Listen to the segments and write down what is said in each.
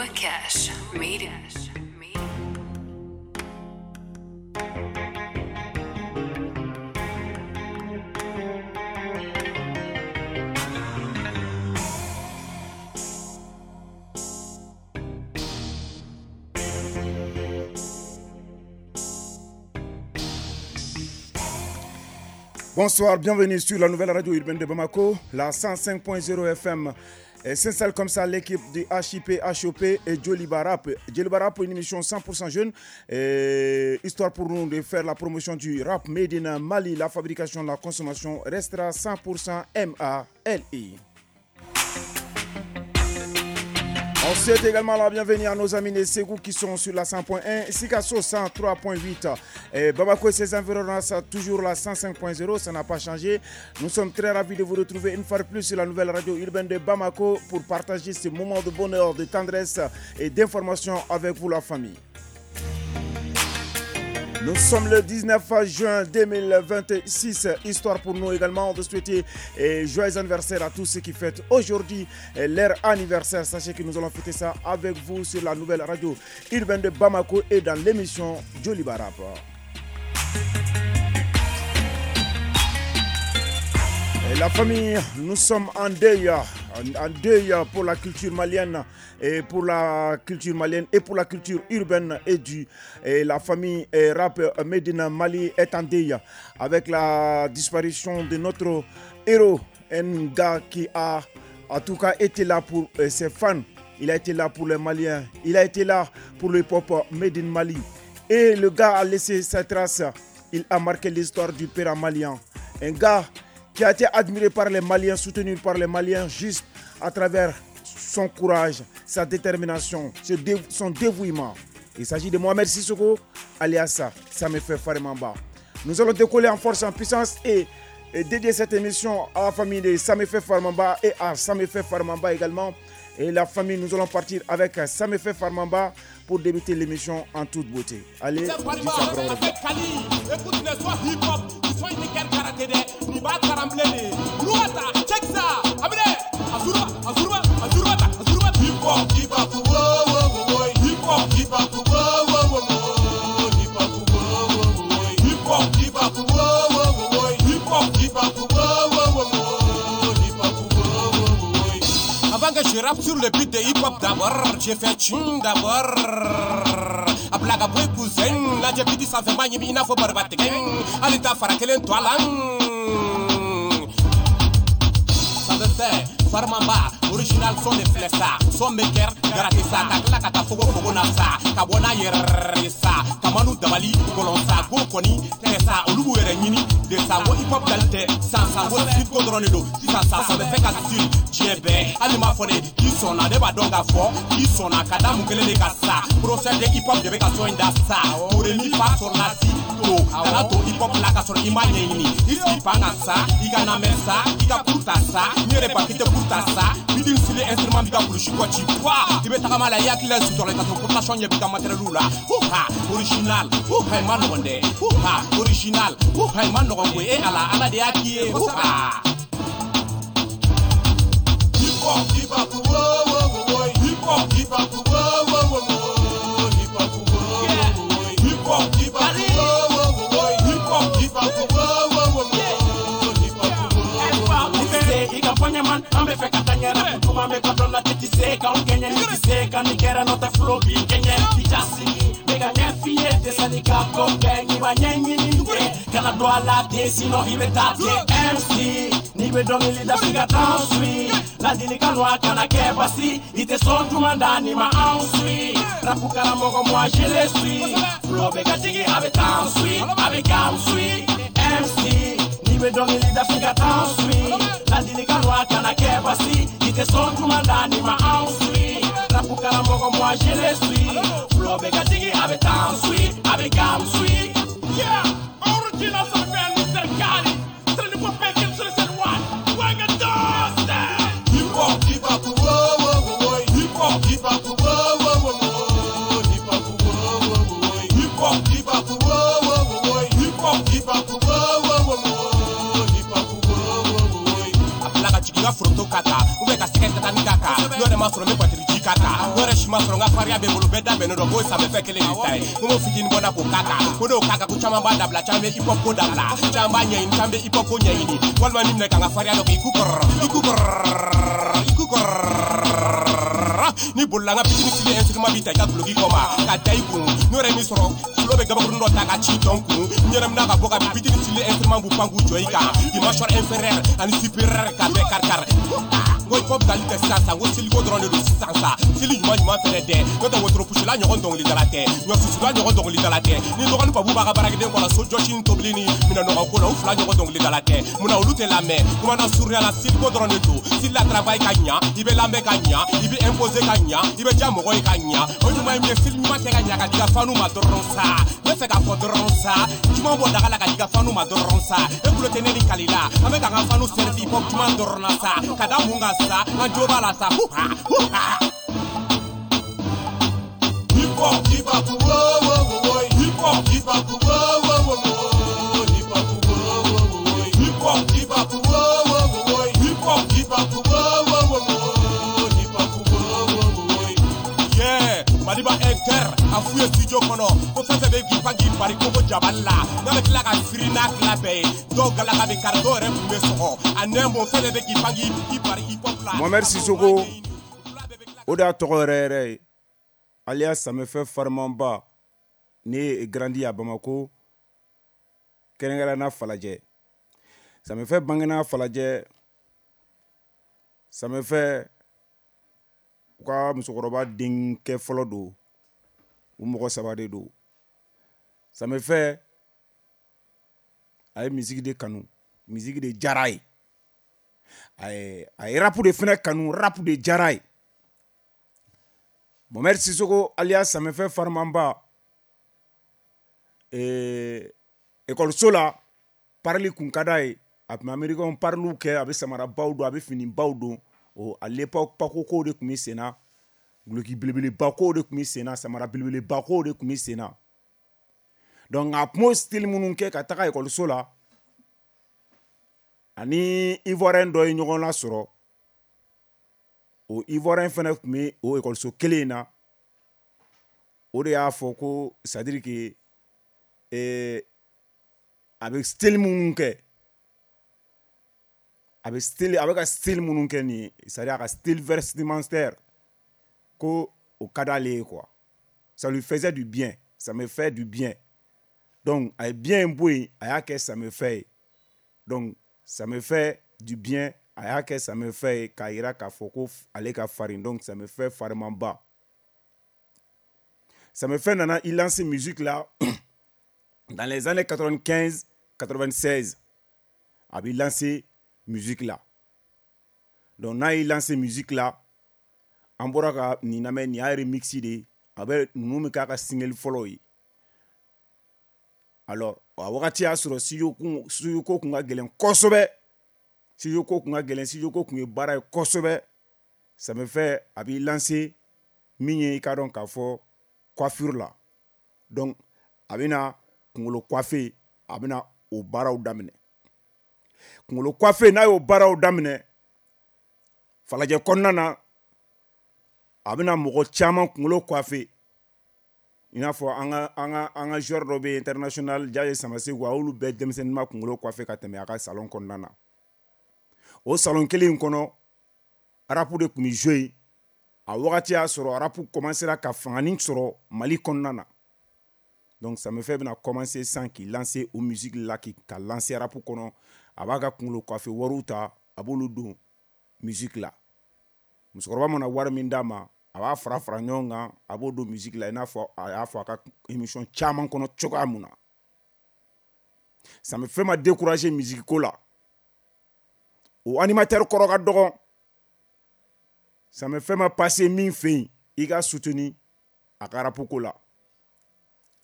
Cash Made. Bonsoir, bienvenue sur la nouvelle radio urbaine de Bamako, la 105.0 FM. Et s'installe comme ça l'équipe du HIP, HOP et Joliba Rap. Joliba Rap, une émission 100% jeune, et histoire pour nous de faire la promotion du rap made in Mali. La fabrication, la consommation restera 100% MALI. On souhaite également la bienvenue à nos amis de Ségou qui sont sur la 100.1, Sikasso 103.8, et Bamako et ses environs, toujours la 105.0, ça n'a pas changé. Nous sommes très ravis de vous retrouver une fois de plus sur la nouvelle radio urbaine de Bamako pour partager ce moment de bonheur, de tendresse et d'information avec vous la famille. Nous sommes le 19 juin 2026, histoire pour nous également de souhaiter joyeux anniversaire à tous ceux qui fêtent aujourd'hui leur anniversaire. Sachez que nous allons fêter ça avec vous sur la nouvelle radio urbaine de Bamako et dans l'émission Joliba Rap. Et la famille, nous sommes en deuil pour la culture malienne et pour la culture malienne et pour la culture urbaine et du et la famille rap Made in Mali est en deuil avec la disparition de notre héros, un gars qui a en tout cas été là pour ses fans, il a été là pour les Maliens, il a été là pour le hip-hop Made in Mali et le gars a laissé sa trace, il a marqué l'histoire du père malien, un gars qui a été admiré par les Maliens, soutenu par les Maliens, juste à travers son courage, sa détermination, son dévouement. Il s'agit de Mohamed Sissoko, alias Samefɛ Farmamba. Nous allons décoller en force, en puissance et dédier cette émission à la famille de Samefɛ Farmamba et à Samefɛ Farmamba également. Et la famille, nous allons partir avec Samefɛ Farmamba pour débuter l'émission en toute beauté. Allez, Avant que je rappe sur le beat de hip-hop d'abord, j'ai fait tching d'abord. A blague à boy cousin, la j'ai dit ça fait mal, il faut barbater. Allez ta farakelen toi là. Ça veut faire Farmamba, original son de flessa, son maker, garatisa, kakla kata fogo fogo nasa, kabona yeresa, kamanu dabali, golonsa, go koni, tesa, olubu yɛrɛ ɲini, de sa ko hip hop dali tɛ, san san ko sip ko dɔrɔn de don, sisan sa ça bɛ fɛ ka style diɲɛ bɛɛ, hali m'a fɔ de k'i sɔnna, ne b'a dɔn k'a fɔ k'i sɔnna ka da mun kelen de ka sa, professeur de hip hop de bɛ ka son in da sa, do re mi fa sol la si do, kana to hip hop la ka sɔrɔ i m'a ɲɛɲini, i sigi pan ka sa, i ka namɛ sa, i ka kuru ta sa, n yɛrɛ ba k'i tɛ kuru ta sa, bidin sili instrument b'i ka kulusi kɔ ci wa, i bɛ tagama la i hakili la sutɔrɔ i ka sɔrɔ population ɲɛ b'i ka matériel la, huha original, huha i ma nɔgɔn dɛ, huha original, huha i ma nɔgɔn koyi, e ala ala de y'a k'i ye, huha. Hip hop, hip hop, wo wo wo, hip hop, hip hop, wo wo wo, hip hop, wo wo, hip hop, hip hop, wo wo wo, hip hop, hip hop, wo wo wo, hip hop, wo. I ka fɔ ɲɛman an bɛ fɛ ka taa ɲɛra kutuma bɛ ka dɔn la tɛ se k'anw kɛɲɛ ni tɛ se ka nin kɛra n'o tɛ flow b'i kɛɲɛ i ja sigi bɛ ka ɲɛ f'i ye dɛsɛ ka ko kɛ n'i ma ɲɛɲini kɛ kana don a la ten sinon i bɛ taa ten MC n'i bɛ dɔnkili da f'i ka taa suit ladilikan don a kana kɛ basi i tɛ sɔn juma da n'i ma anw suit rap karamɔgɔ moi je le suis flow bɛ ka jigin a bɛ taa suit a bɛ k'an suit MC n'i bɛ dɔnkili da f'i ka taa suit ladilikan don a kana kɛ basi i tɛ sɔn juma da n'i ma anw suit rap karamɔgɔ moi je le suis flow bɛ ka jigin a bɛ taa suit a bɛ k'an suit yeah original ça fait Mr. Kali c'est le nouveau paquet sur le one wanga dust hip hop hip hop wo wo wo hip hop hip hop wo wo wo hip hop wo wo wo hip hop hip hop wo wo wo hip hop hip hop wo wo wo hip hop wo wo a bila ka jigin ka foronto k'a kan ou bien ka sɛgɛ tatani k'a kan n'o yɛrɛ ma sɔrɔ n bɛ batiri ji k'a kan n'o yɛrɛ si ma sɔrɔ n ka farinya bɛ n bolo bɛɛ da bɛnnen dɔn k'o ye Samefɛ kelen de ta ye ko n b'o fitinin bɔ n na k'o k'a kan ko n'o k'a kan ko caman b'a dabila caman bɛ hip hop ko dabila caman b'a ɲɛɲini caman bɛ hip hop ko ɲɛɲini walima min minɛ ka n ka farinya dɔ kɛ i ku kɔrɔ i ku kɔrɔ i ku kɔrɔ ni bolila n ka bitini fili instrument b'i ta i ka guloki kɔ ma ka da i kun n'o yɛrɛ min sɔrɔ tulo bɛ gabakurun dɔ ta ka ci dɔn kun n yɛrɛ mina ka bɔ ka bitini fili instrument b'u pan k'u jɔ i kan i mâchoire inférieure ani supérieure ka bɛɛ kari kari n ko hip hop dali tɛ sisan sa n ko seliko dɔrɔn de don sisan sa seli ɲuman ɲuman fɛnɛ dɛ n'o tɛ wotoropusila ɲɔgɔn dɔnkilidala tɛ ɲɔsusula ɲɔgɔn dɔnkilidala tɛ ni dɔgɔnin pabu b'a ka baarakɛden kɔ la so jɔsi ni tobili ni minɛnɔgɔ ko la u fila ɲɔgɔn dɔnkilidala tɛ munna olu tɛ lamɛn kuma na surunya la seliko dɔrɔn de don seli la travail ka ɲa i bɛ lamɛn ka ɲa i bɛ imposer ka ɲa i bɛ diya mɔgɔ ye ka ɲa o ɲuman ye min ye seli ɲuman kɛ ka ɲa ka di ka fanu ma dɔrɔn sa n bɛ fɛ k'a fɔ dɔrɔn sa juman bɔ daga la ka di ka fanu ma dɔrɔn sa e kulo tɛ ne ni kali la an bɛ k'an ka fanu servi hip hop juman dɔrɔn na sa ka da mun kan sa an jo b'a la sa huha huha. Hip hop, hip hop, wo wo wo, hip hop, hip hop, wo wo wo, hip hop, wo wo wo, hip hop, hip hop, wo wo wo, hip hop, hip hop, wo wo wo, hip hop, wo wo wo. Yeah, Maliba Inter a f'u ye studio kɔnɔ ko fɛn fɛn bɛ k'i pan k'i bari koko jabali la n'a bɛ tila ka firi n'a tila bɛɛ ye dɔw galaka bɛ kari dɔw yɛrɛ kun bɛ sɔgɔ a nɛn bɔ fɛn fɛn bɛ k'i pan k'i bari hip hop la. Mohamed Sissoko o de y'a tɔgɔ yɛrɛ yɛrɛ ye alias Samefɛ Farimanba né grandi à Bamako kɛrɛnkɛrɛnnenya Falajɛ. Samefɛ bangena Falajɛ. Samefɛ u ka musokɔrɔba denkɛ fɔlɔ don, u mɔgɔ saba de don. Samefɛ a ye musique de kanu, musique de diyara ye, a ye rap de fɛnɛ kanu, rap de diyara ye. Mohamed Sissoko alias Samefɛ Farimanba ekɔliso la parili kun ka d'a ye, a tun bɛ américain pariliw kɛ, a bɛ samarabaw don, a bɛ finibaw don. O à l'époque pako kow de tun bɛ sen na, guloki belebeleba kow de tun bɛ sen na, samara belebeleba kow de tun bɛ sen na. Donc a tun b'o style minnu kɛ ka taga ekɔliso la, ani Ivoirien dɔ ye ɲɔgɔn lasɔrɔ. O Ivoirien fɛnɛ tun bɛ o ekɔliso kelen in na. O de y'a fɔ ko c'est à dire que a bɛ style minnu kɛ, a bɛ style, a bɛ ka style minnu kɛ nin ye, c'est à dire a ka style vestimentaire ko o ka d'ale ye quoi. Ça lui faisait du bien, ça me fait du bien. Donc a ye bien in bɔ yen, a y'a kɛ Samefɛ ye. Donc ça me fait du bien, a y'a kɛ Samefɛ ye k'a yira k'a fɔ ko ale ka farin. Donc ça me fait Farimanba. Samefɛ nana i lancer musique la dans les années 95 96. A b'i lancer musique la. Donc n'a y'i lancer musique la, an bɔra ka nin lamɛn, nin y'a remix de ye, a bɛ ninnu bɛ k'a ka single fɔlɔw ye. Alors a wagati y'a sɔrɔ studio ko kun ka gɛlɛn kosɛbɛ, studio ko kun ka gɛlɛn, studio ko kun ye baara ye kosɛbɛ. Samefɛ a b'i lancer min ye i k'a dɔn k'a fɔ coiffure la. Donc a bɛna kunkolo coiffer, a bɛna o baaraw daminɛ. Kunkolo coiffer, n'a y'o baaraw daminɛ Falajɛ kɔnɔna na, a bɛna mɔgɔ caman kunkolo coiffer. I n'a fɔ an ka joueur dɔ bɛ yen international Jaye Samasegu, a y'olu bɛɛ denmisɛnnin ma kunkolo coiffer ka tɛmɛ a ka salon kɔnɔna na. O salon kelen in kɔnɔ, rap de tun bɛ jouer yen. A wagati y'a sɔrɔ rap commencera ka fanganin sɔrɔ Mali kɔnɔna na. Donc Samefɛ bɛna commencer sisan k'i lancer o musique la, k'i ka lancer rap kɔnɔ. A b'a ka kunkolo coiffer wariw ta, a b'olu don musique la. Musokɔrɔba mana wari min d'a ma, a b'a fara fara ɲɔgɔn kan, a b'o don musique la, i n'a fɔ a y'a fɔ a ka émission caman kɔnɔ cogoya mun na. Samefɛ ma décourager musique ko la. O animateur kɔrɔ ka dɔgɔ. Samefɛ ma passer min fɛ yen, i ka soutenir a ka rap ko la.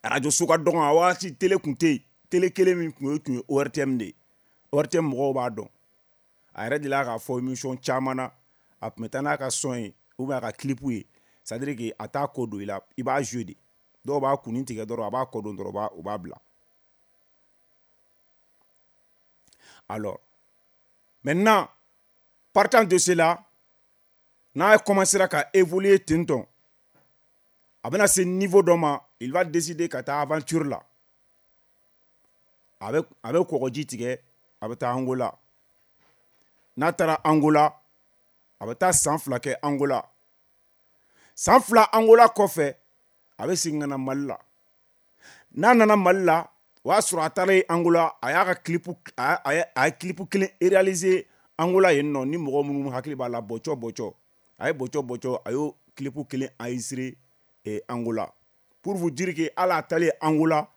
Radio so ka dɔgɔ a wagati, télé kun tɛ yen. Télé kelen min tun ye ORTM de ye. ORTM mɔgɔw b'a dɔn. A yɛrɛ delila k'a fɔ émission caman na, a tun bɛ taa n'a ka son ye ou bien a ka clip ye, c'est à dire que a t'a ko don i la, i b'a jouer de. Dɔw b'a kunnin tigɛ dɔrɔn, a b'a kɔ don dɔrɔn, u b'a bila. Alors maintenant, Partant de cela, n'a commencé ka évoluer ten tɔ, a bɛna se niveau dɔ ma, il va décider ka taa aventure la. A bɛ kɔgɔji tigɛ, a bɛ taa Angola. N'a taara Angola, a bɛ taa san 2 kɛ Angola. San 2 Angola kɔfɛ, a bɛ segin ka na Mali la. N'a nana Mali la, o y'a sɔrɔ a taara Angola, a y'a ka clip, a ye clip kelen réaliser Angola yen nɔ. Ni mɔgɔ minnu hakili b'a la, Bɔcɔ Bɔcɔ, a ye Bɔcɔ Bɔcɔ, a y'o clip kelen enregistré Angola. Pour vous dire que hali a taalen Angola,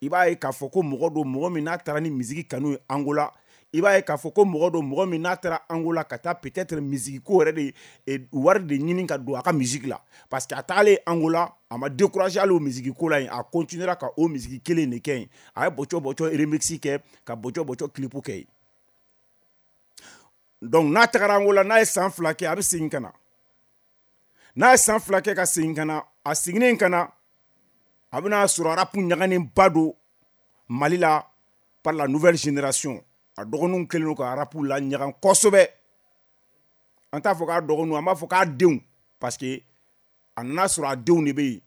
i b'a ye k'a fɔ ko mɔgɔ don, mɔgɔ min n'a taara ni musique kanu ye Angola. I b'a ye k'a fɔ ko mɔgɔ don, mɔgɔ min n'a taara Angola ka taa peut-être musique ko yɛrɛ de, wari de ɲini ka don a ka musique la, parce que a taalen Angola, a ma découragé hali o musique ko la yen. A continuera ka o musique kelen de kɛ yen. A ye Bɔcɔ Bɔcɔ remix kɛ, ka Bɔcɔ Bɔcɔ clip kɛ yen. Donc n'a tagara Angola, n'a ye san 2 kɛ, a bɛ segin ka na. N'a ye san 2 kɛ ka segin ka na, a seginnen ka na, a bɛna sɔrɔ rap ɲaganenba don Mali la par la nouvelle génération. A dɔgɔninw kɛlen don ka rap la ɲagan kosɛbɛ. An t'a fɔ k'a dɔgɔninw, an b'a fɔ k'a denw, parce que a nana sɔrɔ a denw de bɛ yen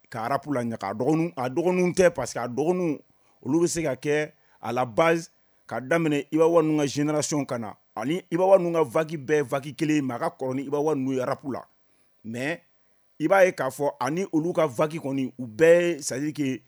ka rap la ɲaga. A dɔgɔninw, a dɔgɔninw tɛ, parce que a dɔgɔninw, olu bɛ se ka kɛ à la base ka daminɛ Iba One ninnu ka génération ka na, ani Iba One ninnu ka vague bɛɛ vague kelen ye, mais a ka kɔrɔ ni Iba One ninnu ye rap la. Mais i b'a ye k'a fɔ ani olu ka vague kɔni, u bɛɛ, c'est à dire que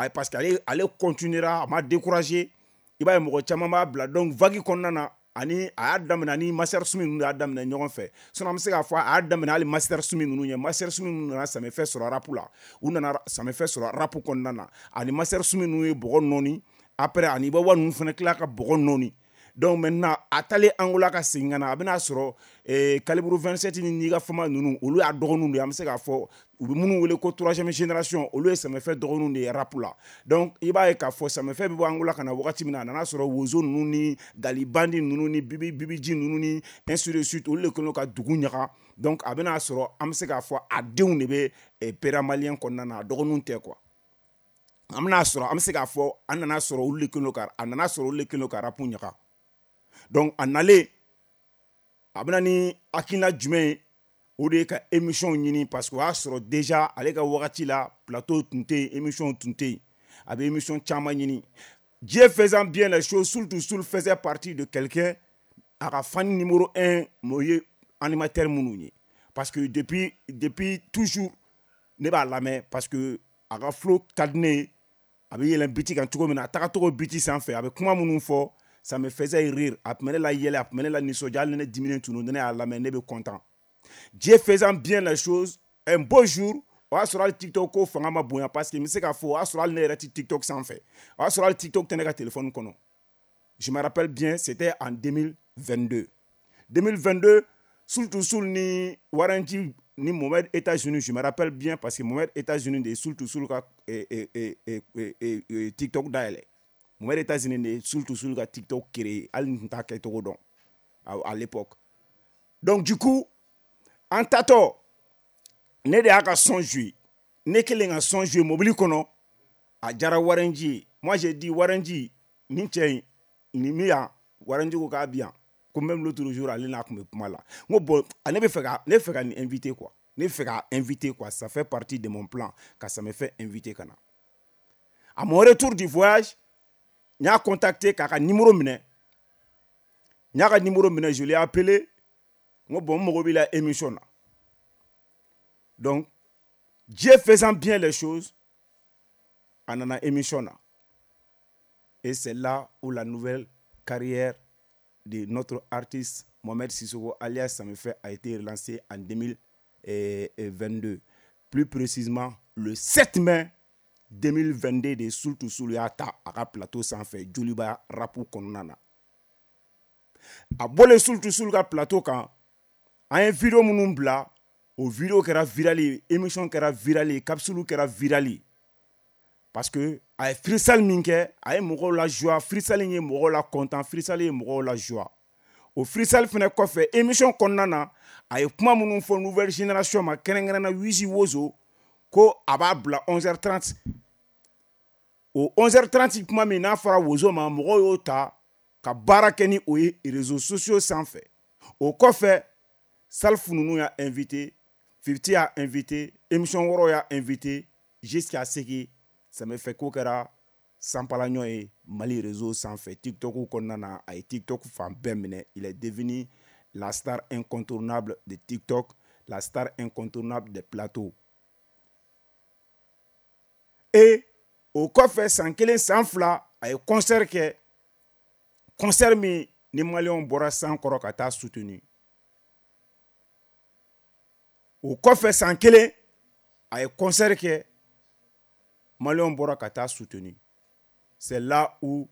parce que ale continuera, a ma découragé. I b'a ye mɔgɔ caman b'a bila. Donc vague kɔnɔna na, ani a y'a daminɛ ani Master Sumi ninnu y'a daminɛ ɲɔgɔn fɛ. Sinon an bɛ se k'a fɔ a y'a daminɛ hali Master Sumi ninnu ɲɛ. Master Sumi ninnu nana samefɛ sɔrɔ rap la, u nana samefɛ sɔrɔ rap kɔnɔna na. Ani Master Sumi ninnu ye bɔgɔ nɔɔni. Après, ani Iba One ninnu fana tila ka bɔgɔ nɔɔni. Donc maintenant, a taalen Angola ka segin ka na, a bɛna sɔrɔ Calibre 27 ni Niga Fama ninnu, olu y'a dɔgɔninw de ye. An bɛ se k'a fɔ u bɛ minnu wele ko troisième génération, olu ye samefɛ dɔgɔninw de ye rap la. Donc i b'a ye k'a fɔ samefɛ bɛ bɔ Angola ka na wagati min na, a nana sɔrɔ Wozo ninnu ni Galibandi ninnu ni Bibi Bibiji ninnu ni ainsi de suite, olu de kɛlen don ka dugu ɲaga. Donc a bɛna sɔrɔ an bɛ se k'a fɔ a denw de bɛ pera malien kɔnɔna na, a dɔgɔninw tɛ quoi. An bɛna sɔrɔ, an bɛ se k'a fɔ an nana sɔrɔ olu de kɛlen don ka, a nana sɔrɔ olu de kɛlen don ka rap ɲaga. Donc a nalen, a bɛna ni hakilina jumɛn ye? O de ye ka émission ɲini, parce que o y'a sɔrɔ déjà ale ka wagati la, plateau tun tɛ yen, émission tun tɛ yen. A bɛ émission caman ɲini. Dieu faisant bien les choses, Soul to Soul faisait partie de quelqu'un a ka fan numéro 1 o ye animateur minnu ye, parce que depuis toujours ne b'a lamɛn, parce que a ka flow ka di ne ye. A bɛ yɛlɛn beat kan cogo min na, a tagacogo beat sanfɛ, a bɛ kuma minnu fɔ, ça me faisait rire. A tun bɛ ne la yɛlɛ, a tun bɛ ne la nisɔndiya. Hali ni ne diminen tun don, ni ne y'a lamɛn, ne bɛ content. Dieu faisant bien les choses, un beau jour, o y'a sɔrɔ hali TikTok ko fanga ma bonya, parce que n bɛ se k'a fɔ o y'a sɔrɔ hali ne yɛrɛ tɛ TikTok sanfɛ, o y'a sɔrɔ hali TikTok tɛ ne ka téléphone kɔnɔ. Je me rappelle bien, c'était en 2022. 2022, Soul to Soul ni Warren G ni Mohamed États-Unis, je me rappelle bien, parce que Mohamed États-Unis de ye Soul to Soul ka TikTok dayɛlɛ. Mohamed États-Unis de ye Soul to Soul ka TikTok créé, hali n tun t'a kɛcogo dɔn à l'époque. Donc du coup, an tatɔ, ne de y'a ka son joué. Ne kelen ka son joué mobili kɔnɔ, a diyara Warren G ye. Moi, j'ai dit: Warren G, nin cɛ in nin mi yan. Warren G ko k'a bi yan, ko même l'autre jour ale n'a tun bɛ kuma la. N ko bon, ne bɛ fɛ ka nin invité quoi, ne bɛ fɛ ka invité quoi. Ça fait partie de mon plan ka ça me fait inviter ka na. À mon retour du voyage, n y'a contacté k'a ka numéro minɛ. N y'a ka numéro minɛ, je l'ai appelé. N ko bon, n mago b'i la émission na. Donc Dieu faisant bien les choses, a nana émission na. Et c'est là où la nouvelle carrière de notre artiste Mohamed Sissoko alias Samefɛ a été relancée en 2022. Plus précisément, le 7 mai 2022 de Soul to Soul y'a ta a ka plateau sanfɛ Joliba rap kɔnɔna na. A bɔlen Soul to Soul ka plateau kan, an ye vidéo minnu bila, o vidéo kɛra viral ye, émission kɛra viral ye, capsule kɛra viral ye. Parce que a ye freestyle min kɛ, a ye mɔgɔw la joie, freestyle ye mɔgɔw la content, freestyle ye mɔgɔw la joie. O freestyle fɛnɛ kɔfɛ, émission kɔnɔna na, a ye kuma minnu fɔ nouvelle génération ma, kɛrɛnkɛrɛnna Wizi Wozo, ko a b'a bila 11h30. O 11h30 kuma min n'a fɔra Wozo ma, mɔgɔw y'o ta ka baara kɛ ni o ye réseaux sociaux sanfɛ. O kɔfɛ, Salif ninnu y'a invité, Fifti y'a invité, émission wɛrɛw y'a invité, jusqu'à ce que Samefɛ ko kɛra sanpalaɲɔ ye Mali réseau sanfɛ, TikTok kɔnɔna na, a ye TikTok fan bɛɛ minɛ. Il est devenu la star incontournable de TikTok, la star incontournable des plateaux. Et o kɔfɛ, san kelen, san fila, a ye concert kɛ, concert min ni maliyɛnw bɔra san kɔrɔ ka taa soutenir. O kɔfɛ, san kelen, a ye concert kɛ, maliyɛnw bɔra ka taa soutenir. C'est là où,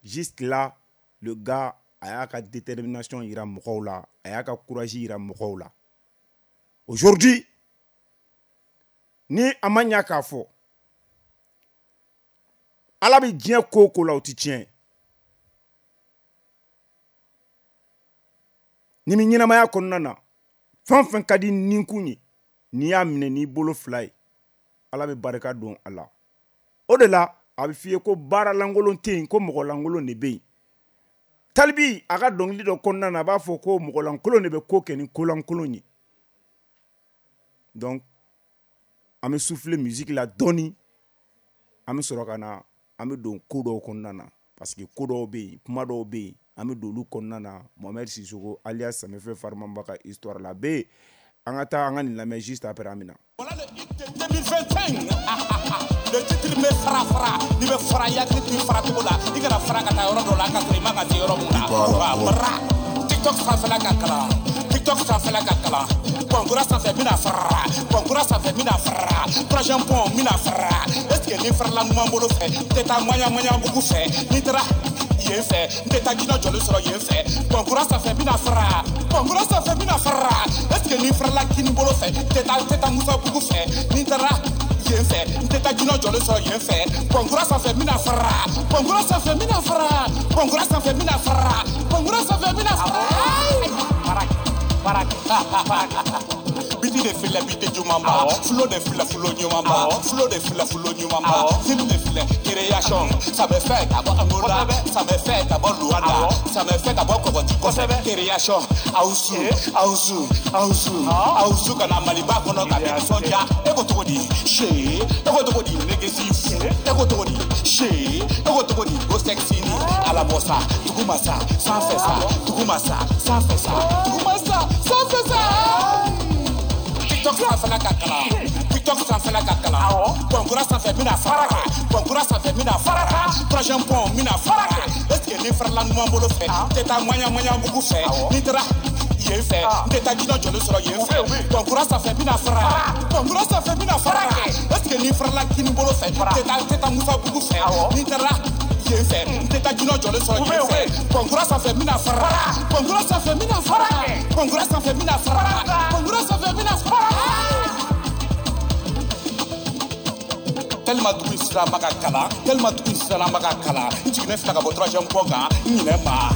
juste là, le gars a y'a ka détermination yira mɔgɔw la, a y'a ka courage yira mɔgɔw la. Aujourd'hui, ni a ma ɲa k'a fɔ Ala bɛ diɲɛ ko o ko la, o ti tiɲɛ. Ni mi ɲɛnamaya kɔnɔna na, fɛn o fɛn ka di ninkun ye, n'i y'a minɛ n'i bolo fila ye, Ala bɛ barika don a la. O de la a bɛ f'i ye ko baara lankolon tɛ yen, ko mɔgɔ lankolon de bɛ yen. Talibi a ka dɔnkili dɔ kɔnɔna na, a b'a fɔ ko mɔgɔ lankolon de bɛ ko kɛ ni ko lankolon ye. Donc an bɛ souffler musique la dɔɔni, an bɛ sɔrɔ ka na, an bɛ don ko dɔw kɔnɔna na, parce que ko dɔw bɛ yen, kuma dɔw bɛ yen, an bɛ don olu kɔnɔna na. Mohamed Sissoko alias Samefɛ Farimanba ka histoire la bɛ yen. An ka taa, an ka nin lamɛn, juste après an bɛ na. Voilà le hit de 2025. Le titre bɛ fara fara. N'i bɛ fara, i hakili t'i fara cogo la. I kana fara ka taa yɔrɔ dɔ la ka sɔrɔ i ma ka se yɔrɔ mun na. Wa bara. TikTok sanfɛla ka kalan. TikTok sanfɛla ka kalan. Pɔnkura sanfɛ n bɛna fara. Pɔnkura sanfɛ n bɛna fara. Troisième pont n bɛna fara. Est ce que ni farala numan bolo fɛ, n tɛ taa maɲa maɲa bugu fɛ. N'i taara yen fɛ, n tɛ taa jinɛ jɔlen sɔrɔ yen fɛ. Pɔnkura sanfɛ n bɛna fara. Pɔnkura sanfɛ n bɛna fara. Est ce que ni farala kini bolo fɛ, n tɛ taa Musa bugu fɛ. N'i taara yen fɛ, n tɛ taa jinɛ jɔlen sɔrɔ yen fɛ. Pɔnkura sanfɛ n bɛna fara. Pɔnkura sanfɛ n bɛna fara. Pɔnkura sanfɛ n bɛna fara. Pɔnkura sanfɛ n bɛna fara. Biti de filɛ, biti jumanba. Flow de filɛ, flow ɲumanba. Flow de filɛ, flow ɲumanba. Film de filɛ, création. Ça me fait ka bɔ Angola, ça me fait ka bɔ Luanda, ça me fait ka bɔ Kɔgɔji kosɛbɛ. Création, Awusu, Awusu, Awusu, Awusu ka na Maliba kɔnɔ ka bɛɛ nisɔndiya. E ko cogo di? See, e ko cogo di? Negesi, e ko cogo di? See, e ko cogo di? Go sexy ni alabɔ sa, duguma sa, sanfɛ sa, duguma sa, sanfɛ sa, duguma sa, sanfɛ sa. TikTok sanfɛla ka kalan. TikTok sanfɛla ka kalan. Pɔnkura sanfɛ n bɛna fara. Pɔnkura sanfɛ n bɛna fara. Troisième pont n bɛna fara. Est ce que ni farala numan bolo fɛ, n tɛ taa maɲa maɲa bugu fɛ. N'i taara yen fɛ, n tɛ taa jinɛ jɔlen sɔrɔ yen fɛ. Pɔnkura sanfɛ n bɛna fara. Pɔnkura sanfɛ n bɛna fara. Est ce que ni farala kini bolo fɛ, n tɛ taa Musa bugu fɛ. N'i taara yen fɛ, n tɛ taa jinɛ jɔlen sɔrɔ yen fɛ. Pɔnkura sanfɛ n bɛna fara. Pɔnkura sanfɛ n bɛna fara. Pɔnkura sanfɛ n bɛna fara. Pɔnkura sanfɛ n bɛna fara. Tellement dugu in sisan ma ka kalan, tellement dugu in sisan ma ka kalan, n jiginnen filɛ ka bɔ troisième pont kan, n ɲinɛ ma.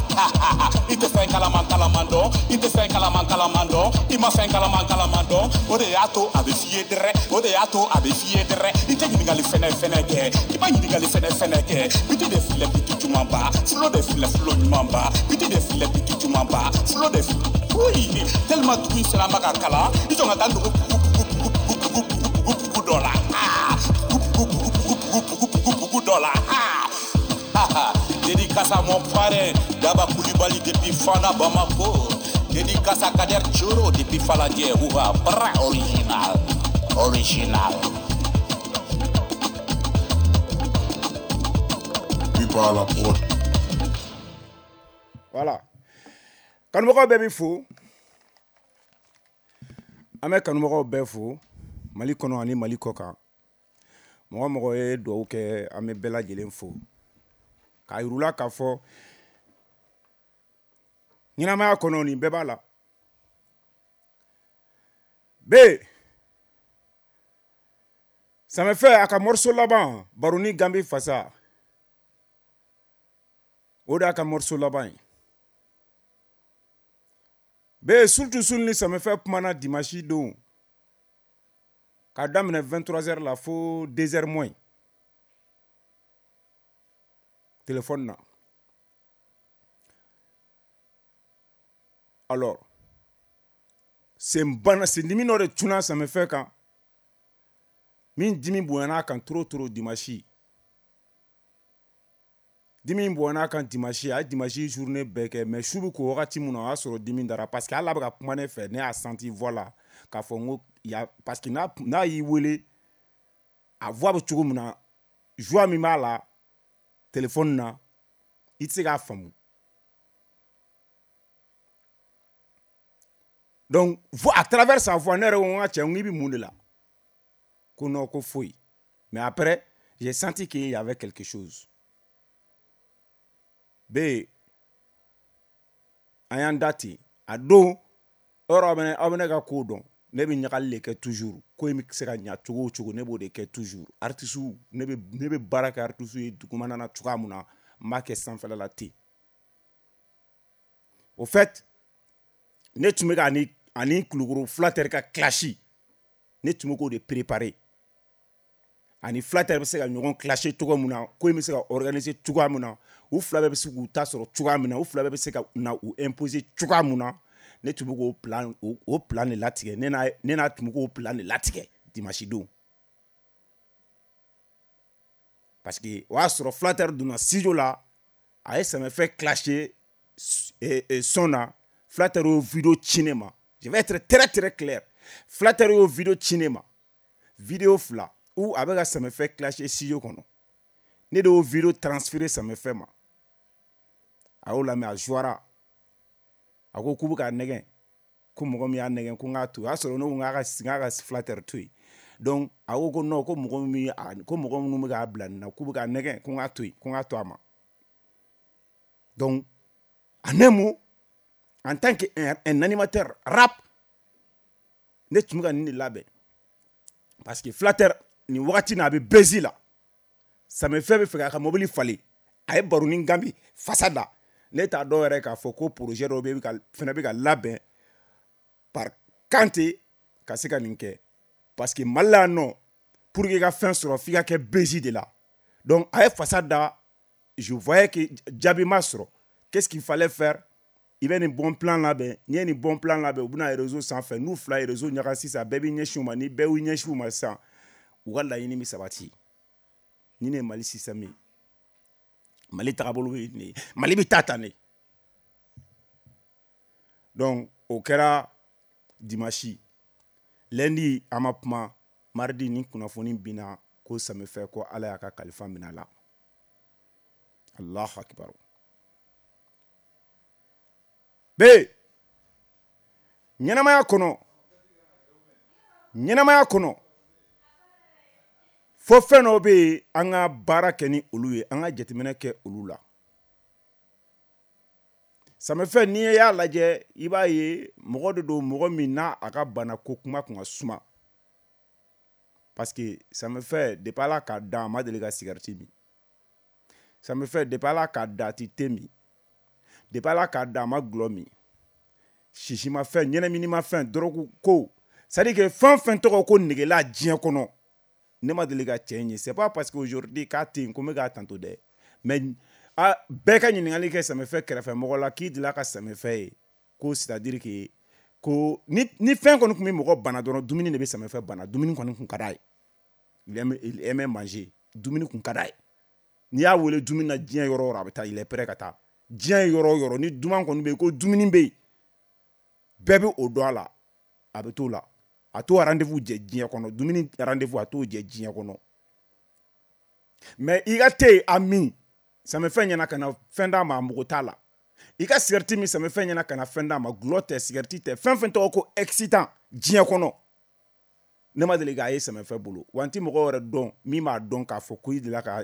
I tɛ fɛn kalaman kalaman dɔn, i tɛ fɛn kalaman kalaman dɔn, i ma fɛn kalaman kalaman dɔn. O de y'a to a bɛ f'i ye dɛrɛ, o de y'a to a bɛ f'i ye dɛrɛ. I tɛ ɲininkali fɛnɛ fɛnɛ kɛ, i ma ɲininkali fɛnɛ fɛnɛ kɛ. Biti de filɛ, biti jumanba. Flow de filɛ, flow ɲumanba. Biti de filɛ, biti jumanba. Flow de filɛ, oui, tellement dugu in sisan ma ka kalan, i jɔ ka taa nugu bugu bugu bugu bugu bugu bugu dɔ la. Ah, bugu bugu bugu bugu bugu bugu dɔ la. Ah, dédicace à mon parrain Daba Koulibaly depuis Fana Bamako. Dédicace à Kader Choro depuis Faladié. Ouha, bra original. Original. Biba la prod. Voilà. Kanubagaw bɛɛ bɛ fo. An bɛ kanubagaw bɛɛ fo Mali kɔnɔ ani Mali kɔ kan. Mɔgɔ mɔgɔ ye dugawu kɛ, an bɛ bɛɛ lajɛlen fo. K'a yir'u la k'a fɔ ɲɛnamaya kɔnɔ, nin bɛɛ b'a la. B Samefɛ a ka morceau laban, Baroni Gambi Fasa, o de y'a ka morceau laban ye. B surtout sul ni Samefɛ kumana dimanche don k'a daminɛ 23h la fo 2h moins téléphone na. Alors sen bana, sendimi dɔ de cunna Samefɛ kan, min dimi bonyana a kan trop trop dimanche. Dimi bonyana a kan dimanche, a ye dimanche journée bɛɛ kɛ, mais su bɛ ko wagati min na, o y'a sɔrɔ dimi dara, parce que hali a bɛ ka kuma ne fɛ, ne y'a senti voix la k'a fɔ n ko ya, parce que n'a y'i wele, a voix bɛ cogo min na, joie min b'a la téléphone na, i tɛ se k'a faamu. Donc à travers sa voix, ne yɛrɛ ko n ka cɛ, n ko i bɛ mun de la? Ko non, ko foyi. Mais après, j'ai senti qu'il y avait quelque chose. B, an y'an da ten. A don, yɔrɔ aw bɛ ne ka ko dɔn. Ne bɛ ɲagali de kɛ toujours. Ko in bɛ se ka ɲa cogo o cogo, ne b'o de kɛ toujours. Artiste, ne bɛ baara kɛ artiste ye dugumana na cogoya min na, n b'a kɛ sanfɛla la ten. Au fait, ne tun bɛ ka ani Kulukoro Flatteur ka clash, ne tun bɛ k'o de préparer. Ani Flatteur bɛ se ka ɲɔgɔn clasher cogo min na, ko in bɛ se ka organiser cogoya min na, u fila bɛɛ bɛ se k'u ta sɔrɔ cogoya min na, u fila bɛɛ bɛ se ka na u imposer cogoya min na, ne tun bɛ k'o plan, o plan de latigɛ. Ne n'a tun bɛ k'o plan de latigɛ dimanche don. Parce que o y'a sɔrɔ Flatteur donna studio la, a ye Samefɛ clasher son na. Flatteur y'o vidéo ci ne ma. Je vais être très très clair. Flatteur y'o vidéo ci ne ma. Vidéo fila où a bɛ ka Samefɛ clasher studio kɔnɔ. Ne de y'o vidéo transféré Samefɛ ma. A y'o lamɛn, a jouara. A ko k'u bɛ k'a nɛgɛn. Ko mɔgɔ min y'a nɛgɛn, ko n k'a to yen. O y'a sɔrɔ ne ko n k'a ka Flatteur to yen. Donc a ko ko non, ko mɔgɔ min ko mɔgɔ minnu bɛ k'a bila nin na, k'u bɛ k'a nɛgɛn, ko n k'a to yen, ko n k'a to a ma. Donc en un mot, en tant qu'un un animateur rap, ne tun bɛ ka nin de labɛn. Parce que Flatteur nin wagati in a bɛ bezi la. Samefɛ bɛ fɛ k'a ka mobili falen. A ye baroni gambi fasa da. Ne t'a dɔn yɛrɛ k'a fɔ ko projet dɔ bɛ ka fɛnɛ bɛ ka labɛn par Kante ka se ka nin kɛ. Parce que Mali la yan nɔ, pour que i ka fɛn sɔrɔ, f'i ka kɛ bezi de la. Donc a ye fasa da, je voyais que jaabi ma sɔrɔ. Qu'est-ce qu'il fallait faire? I bɛ nin bon plan labɛn. N'i ye nin bon plan labɛn, u bɛna réseau sanfɛ. N'u fila ye réseau ɲaga sisan, bɛɛ b'i ɲɛsin u ma. Ni bɛɛ y'u ɲɛsin u ma sisan, u ka laɲini bɛ sabati. Ni ne ye Mali système ye, Mali tagabolo bɛ nin ye, Mali bɛ taa tan de. Donc o kɛra dimanche. Lundi an ma kuma. Mardi ni kunnafoni binna ko Samefɛ, ko Ala y'a ka kalifa minɛ a la. Allahu akbar. B, ɲɛnamaya kɔnɔ, ɲɛnamaya kɔnɔ, fo fɛn dɔw bɛ yen, an ka baara kɛ ni olu ye, an ka jateminɛ kɛ olu la. Samefɛ, n'i y'a lajɛ, i b'a ye mɔgɔ de don, mɔgɔ min n'a a ka bana ko kuma kun ka suma. Parce que Samefɛ, depuis Ala k'a dan, a ma deli ka cigarette min. Samefɛ, depuis Ala k'a dan, a ti thé min. Depuis Ala k'a dan, a ma gulɔ min. Sisimafɛn, ɲɛnɛminimafɛn, drogue ko, c'est à dire que fɛn o fɛn tɔgɔ ko negela diɲɛ kɔnɔ, ne ma deli ka cɛ in ye. C'est pas parce que aujourd'hui k'a tɛ yen ko n bɛ k'a tanto dɛ, mais a bɛɛ ka ɲininkali kɛ Samefɛ kɛrɛfɛ mɔgɔ la k'i delila ka Samefɛ ye, ko c'est à dire que ko ni fɛn kɔni tun bɛ mɔgɔ bana dɔrɔn, dumuni de bɛ Samefɛ bana. Dumuni kɔni tun ka d'a ye. Il aimait manger. Dumuni tun ka d'a ye. N'i y'a wele dumuni na diɲɛ yɔrɔ o yɔrɔ, a bɛ taa, il est prêt ka taa diɲɛ yɔrɔ o yɔrɔ. Ni duman kɔni bɛ yen, ko dumuni bɛ yen, bɛɛ bɛ o dɔn a la, a bɛ t'o la. A t'o rendez-vous jɛ diɲɛ kɔnɔ, dumuni rendez-vous, a t'o jɛ diɲɛ kɔnɔ. Mais i ka te a min Samefɛ ɲɛna ka na fɛn d'a ma, a mago t'a la. I ka cigarette min Samefɛ ɲɛna ka na fɛn d'a ma, gulɔ tɛ, cigarette tɛ, fɛn fɛn tɔgɔ ko excitant diɲɛ kɔnɔ, ne ma deli k'a ye Samefɛ bolo. Wa n ti mɔgɔ wɛrɛ dɔn min b'a dɔn k'a fɔ ko i delila ka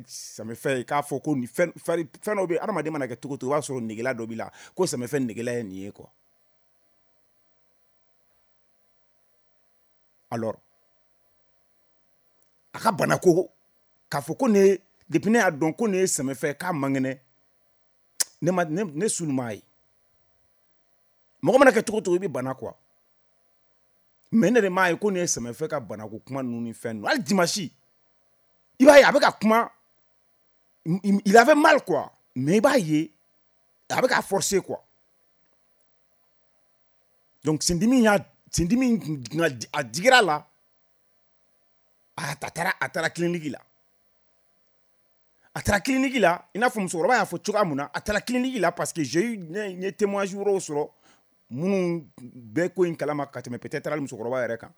Samefɛ ye k'a fɔ ko nin fɛn fɛn dɔ bɛ yen. Adamaden mana kɛ cogo o cogo, i b'a sɔrɔ negela dɔ b'i la, ko Samefɛ negela ye nin ye quoi. Alors a ka bana ko k'a fɔ ko ne, depuis ne y'a dɔn ko ne ye Samefɛ k'a man kɛnɛ, ne ma ne sulu m'a ye. Mɔgɔ mana kɛ cogo o cogo, i bɛ bana quoi. Mais ne de m'a ye ko ne ye Samefɛ ka banako kuma ninnu ni fɛn ninnu. Hali dimanche, i b'a ye a bɛ ka kuma, il avait mal quoi, mais i b'a ye a bɛ ka forcer quoi. Donc sendimi y'a sendimi a digira la, a taara clinique la. A taara clinique la, i n'a fɔ musokɔrɔba y'a fɔ cogoya mun na, a taara clinique la parce que j'ai eu n ye témoignage wɛrɛw sɔrɔ minnu bɛɛ ko in kalama ka tɛmɛ peut-être hali musokɔrɔba yɛrɛ kan.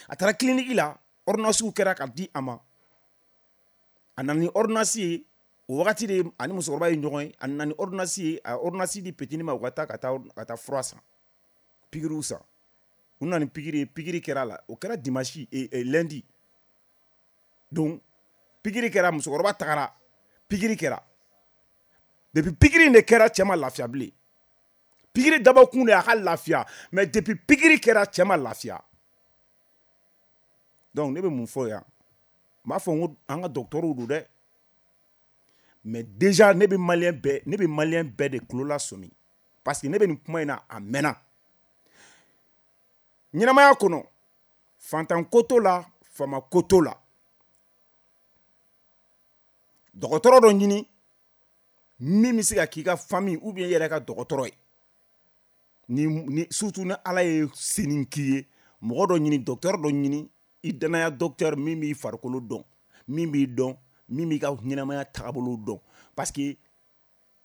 A taara clinique la, ordonnance kɛra ka di a ma. A nana ni ordonnance ye, o wagati de ani musokɔrɔba ye ɲɔgɔn ye, a nana ni ordonnance ye, a ye ordonnance di petini ma, u ka taa ka taa fura san, pikiriw san. U nana ni pikiri ye, pikiri kɛra a la, o kɛra dimanche lundi. Donc pikiri kɛra, musokɔrɔba tagara, pikiri kɛra. Depuis pikiri in de kɛra, cɛ ma lafiya bilen. Pikiri dabɔkun de y'a ka lafiya, mais depuis pikiri kɛra, cɛ ma lafiya. Donc ne bɛ mun fɔ yan? N b'a fɔ n ko an ka dɔgɔtɔrɔw don dɛ, mais déjà ne bɛ malien bɛɛ, ne bɛ malien bɛɛ de tulo lasɔmi, parce que ne bɛ nin kuma in na a mɛnna. Ɲɛnamaya kɔnɔ, fantan ko t'o la, faama ko t'o la. Dɔgɔtɔrɔ dɔ ɲini min bɛ se ka k'i ka famille ou bien i yɛrɛ ka dɔgɔtɔrɔ ye. Ni surtout ni Ala ye seni k'i ye, mɔgɔ dɔ ɲini, docteur dɔ ɲini, i danaya docteur min b'i farikolo dɔn, min b'i dɔn, min b'i ka ɲɛnamaya taabolo dɔn. Parce que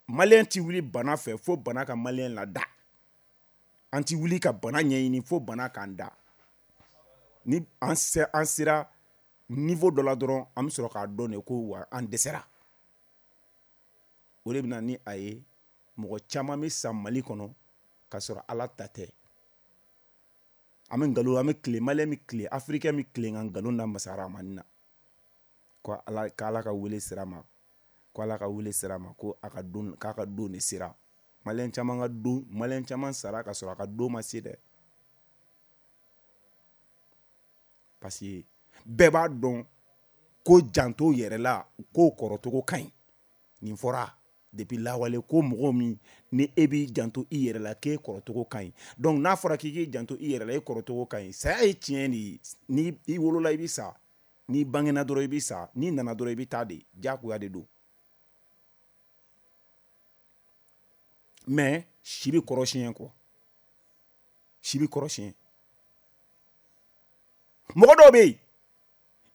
malien ti wuli bana fɛ fo bana ka malien lada. An ti wuli ka bana ɲɛɲini fo bana k'an da. Ni an sera niveau dɔ la dɔrɔn, an bɛ sɔrɔ k'a dɔn de ko wa an dɛsɛra. O de bɛ na ni a ye mɔgɔ caman bɛ sa Mali kɔnɔ k'a sɔrɔ Ala ta tɛ. An bɛ nkalon, an bɛ tile, malien bɛ tile, africain bɛ tile ka nkalon da masa Rahamani na. Ko Ala, k'Ala ka wele sera ma, ko Ala ka wele sera ma, ko a ka don, k'a ka don de sera. Malien caman ka don, malien caman sara ka sɔrɔ a ka don ma se dɛ. Parce que bɛɛ b'a dɔn ko janto yɛrɛ la, ko kɔrɔcogo ka ɲi. Nin fɔra depuis lawale ko mɔgɔ min ni e b'i janto i yɛrɛ la k'e kɔrɔcogo ka ɲi. Donc n'a fɔra k'i k'i janto i yɛrɛ la, e kɔrɔcogo ka ɲi. Saya ye tiɲɛ de ye. Ni i wolola i bɛ sa, n'i bangena dɔrɔn i bɛ sa, n'i nana dɔrɔn i bɛ taa de, diyagoya de don. Mais si bɛ kɔrɔ siɲɛ kɔ, si bɛ kɔrɔ siɲɛ. Mɔgɔ dɔw bɛ yen,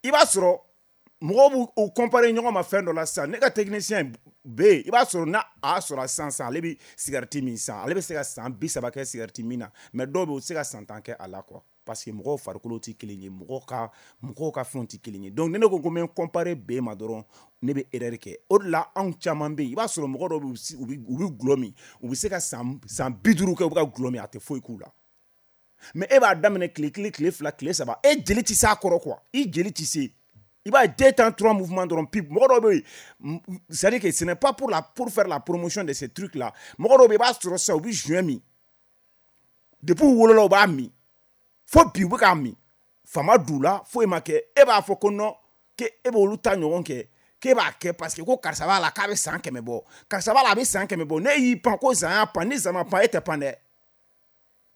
i b'a sɔrɔ mɔgɔw b'u u comparer ɲɔgɔn ma fɛn dɔ la sisan. Ne ka technicien bɛ yen, i b'a sɔrɔ n'a a sɔrɔ sisan sisan, ale bɛ cigarette min san, ale bɛ se ka san 30 kɛ cigarette min na, mais dɔw bɛ yen, u tɛ se ka san 10 kɛ a la quoi. Parce que mɔgɔw farikolo tɛ kelen ye, mɔgɔw ka fɛnw tɛ kelen ye. Donc ni ne ko ko n bɛ n comparer B ma dɔrɔn, ne bɛ erreur kɛ. O de la anw caman bɛ yen, i b'a sɔrɔ mɔgɔ dɔw bɛ yen, u bɛ gulɔ min, u bɛ se ka san 50 kɛ u bɛ ka gulɔ min, a tɛ foyi k'u la. Mais e b'a daminɛ tile kelen, tile fila, tile saba, e jeli tɛ s'a kɔrɔ quoi, i jeli tɛ se. I b'a ye 2 temps 3 mouvements dɔrɔn pip. Mɔgɔ dɔw bɛ yen, c'est-à-dire que ce n'est pas pour faire la promotion de ces trucs là. Mɔgɔ dɔw bɛ yen, i b'a sɔrɔ sisan u bɛ joint min, depuis u wolola u b'a min, fo bi u bɛ k'a min, fama d'u la, foyi ma kɛ. E b'a fɔ ko non, k'e b'olu ta ɲɔgɔn kɛ, k'e b'a kɛ parce que ko karisa b'a la k'a bɛ san 100 bɔ, karisa b'a la a bɛ san 100 bɔ. Ne y'i pan ko zan y'a pan, ni zan ma pan e tɛ pan dɛ.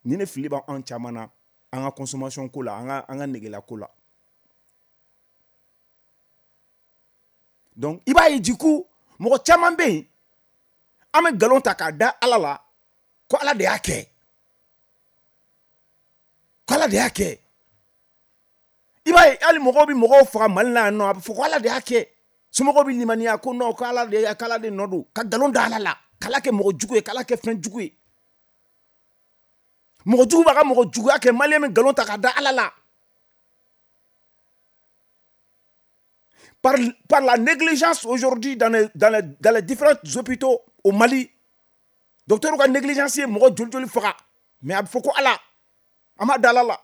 Ni ne fili b'an caman na an ka consommation ko la, an ka negela ko la. Donc i b'a ye du coup mɔgɔ caman bɛ yen, an bɛ nkalon ta k'a da Ala la ko Ala de y'a kɛ, ko Ala de y'a kɛ. I b'a ye hali mɔgɔw bɛ mɔgɔw faga Mali la yan nɔ, a bɛ fɔ ko Ala de y'a kɛ. Somɔgɔw bɛ limaniya ko non, ko Ala de y'a, k'Ala de nɔ don, ka nkalon da Ala la, k'Ala kɛ mɔgɔ jugu ye, k'Ala kɛ fɛn jugu ye. Mɔgɔ jugu b'a ka mɔgɔ juguya kɛ, malien bɛ nkalon ta k'a da Ala la. Par la négligence aujourd'hui dans les différents hôpitaux au Mali, docteur ka négligence ye mɔgɔ joli joli faga, mais a bɛ fɔ ko Ala, an b'a da Ala la.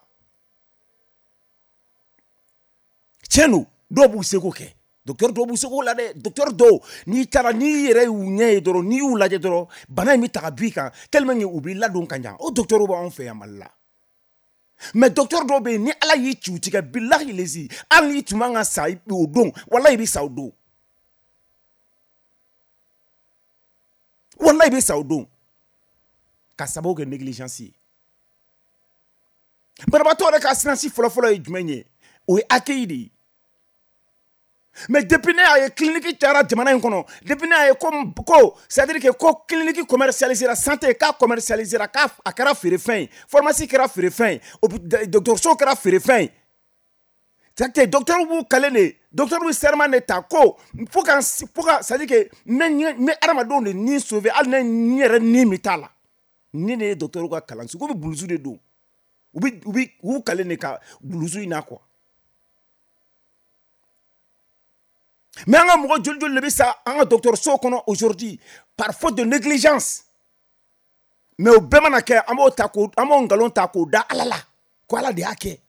Tiɲɛ don, dɔw b'u seko kɛ, docteur dɔw b'u seko la dɛ. Docteur dɔw, n'i taara, n'i yɛrɛ y'u ɲɛ ye dɔrɔn, n'i y'u lajɛ dɔrɔn, bana in bɛ ta ka b'i kan tellement que u b'i ladon ka ɲa. O docteur b'anw fɛ yan Mali la. Mais docteur dɔw bɛ yen, ni Ala y'i ci u tigɛ, bilahi lezi, hali n'i tun man ka sa o don, walahi i bɛ sa o don. Walahi i bɛ sa o don. Ka sababu kɛ négligence ye. Banabaatɔ yɛrɛ ka assurance fɔlɔfɔlɔ ye jumɛn ye? O ye accueil de ye. Mais depuis ne y'a ye clinique cayara jamana in kɔnɔ, depuis ne y'a ye ko c'est à dire que ko clinique commercialisera, santé k'a commercialisera, k'a a kɛra feerefɛn ye, pharmacie kɛra feerefɛn ye, dɔgɔtɔrɔso kɛra feerefɛn ye. C'est-à-dire que docteur b'u kale de, docteur b'u serment de ta ko fo ka c'est à dire que n bɛ adamadenw de ni sauver, hali ne ni yɛrɛ ni min t'a la. Ni ne ye docteur ka kalanso ko bɛ blouse de don, u bɛ u b'u kale de ka blouse in na quoi. Mais an ka mɔgɔ joli joli de bɛ sa an ka dɔgɔtɔrɔso kɔnɔ aujourd'hui par faute de négligence? Mais o bɛɛ mana kɛ, an b'o ta k'o, an b'o nkalon ta k'o da Ala la ko Ala de y'a kɛ.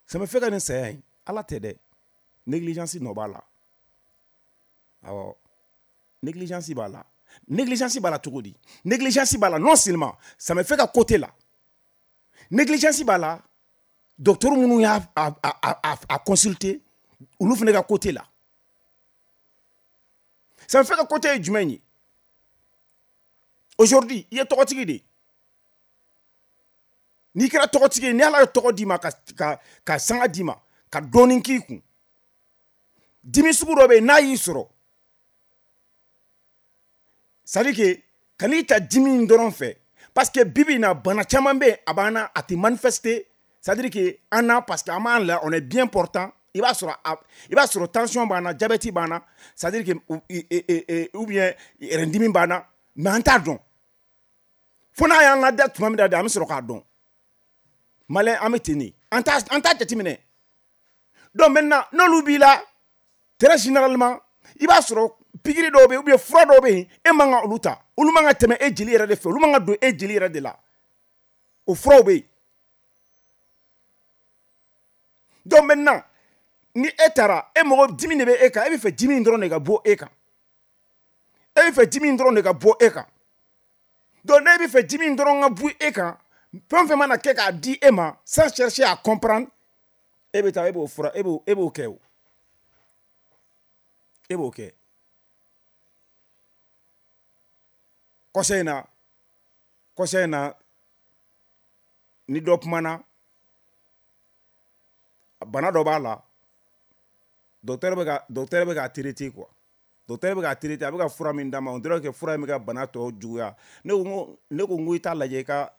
Ça me fait ka nin saya in, Ala tɛ dɛ, négligence nɔ b'a la. Awɔ, négligence b'a la. Négligence b'a la cogo di? Négligence b'a la, non seulement ça me fait ka côté la, négligence b'a la, docteur minnu y'a a consulter, olu fana ka côté la. Ça me fait ka côté ye jumɛn ye? Aujourd'hui, i ye tɔgɔtigi de ye. N'i kɛra tɔgɔtigi ye, ni Ala ye tɔgɔ d'i ma, ka sanga d'i ma, ka dɔɔnin k'i kun, dimi sugu dɔ bɛ yen, n'a y'i sɔrɔ, c'est à dire que kan'i ta dimi in dɔrɔn fɛ, parce que bibi in na, bana caman bɛ yen, a b'an na, a tɛ manifester, c'est à dire que an na, parce que an b'an la, on est bien portant. I b'a sɔrɔ tension b'an na, diabète b'an na, c'est à dire que ou bien yɛrɛdimi b'an na, mais an t'a dɔn fo n'a y'an lada tuma min na de, an bɛ sɔrɔ k'a dɔn. Malien, an bɛ ten de, an t'a jateminɛ. Donc maintenant, n'olu b'i la, très généralement, i b'a sɔrɔ pikiri dɔw bɛ yen ou bien fura dɔw bɛ yen, e man ka olu ta, olu man ka tɛmɛ e jeli yɛrɛ de fɛ, olu man ka don e jeli yɛrɛ de la, o furaw bɛ yen. Donc maintenant, ni e taara, e mɔgɔ dimi de bɛ e kan, e bɛ fɛ dimi in dɔrɔn de ka bɔ e kan, e bɛ fɛ dimi in dɔrɔn de ka bɔ e kan. Donc ne bɛ fɛ dimi in dɔrɔn ka bɔ e kan, fɛn o fɛn mana kɛ k'a di e ma, sans chercher à comprendre, e bɛ taa, e b'o fura, e b'o kɛ, o e b'o kɛ. Kɔsa in na, ni dɔ kumana, bana dɔ b'a la, docteur bɛ k'a traiter quoi, docteur bɛ k'a traiter, a bɛ ka fura min d'a ma, on dirait que fura in bɛ ka bana tɔ juguya. Ne ko n ko i t'a lajɛ i ka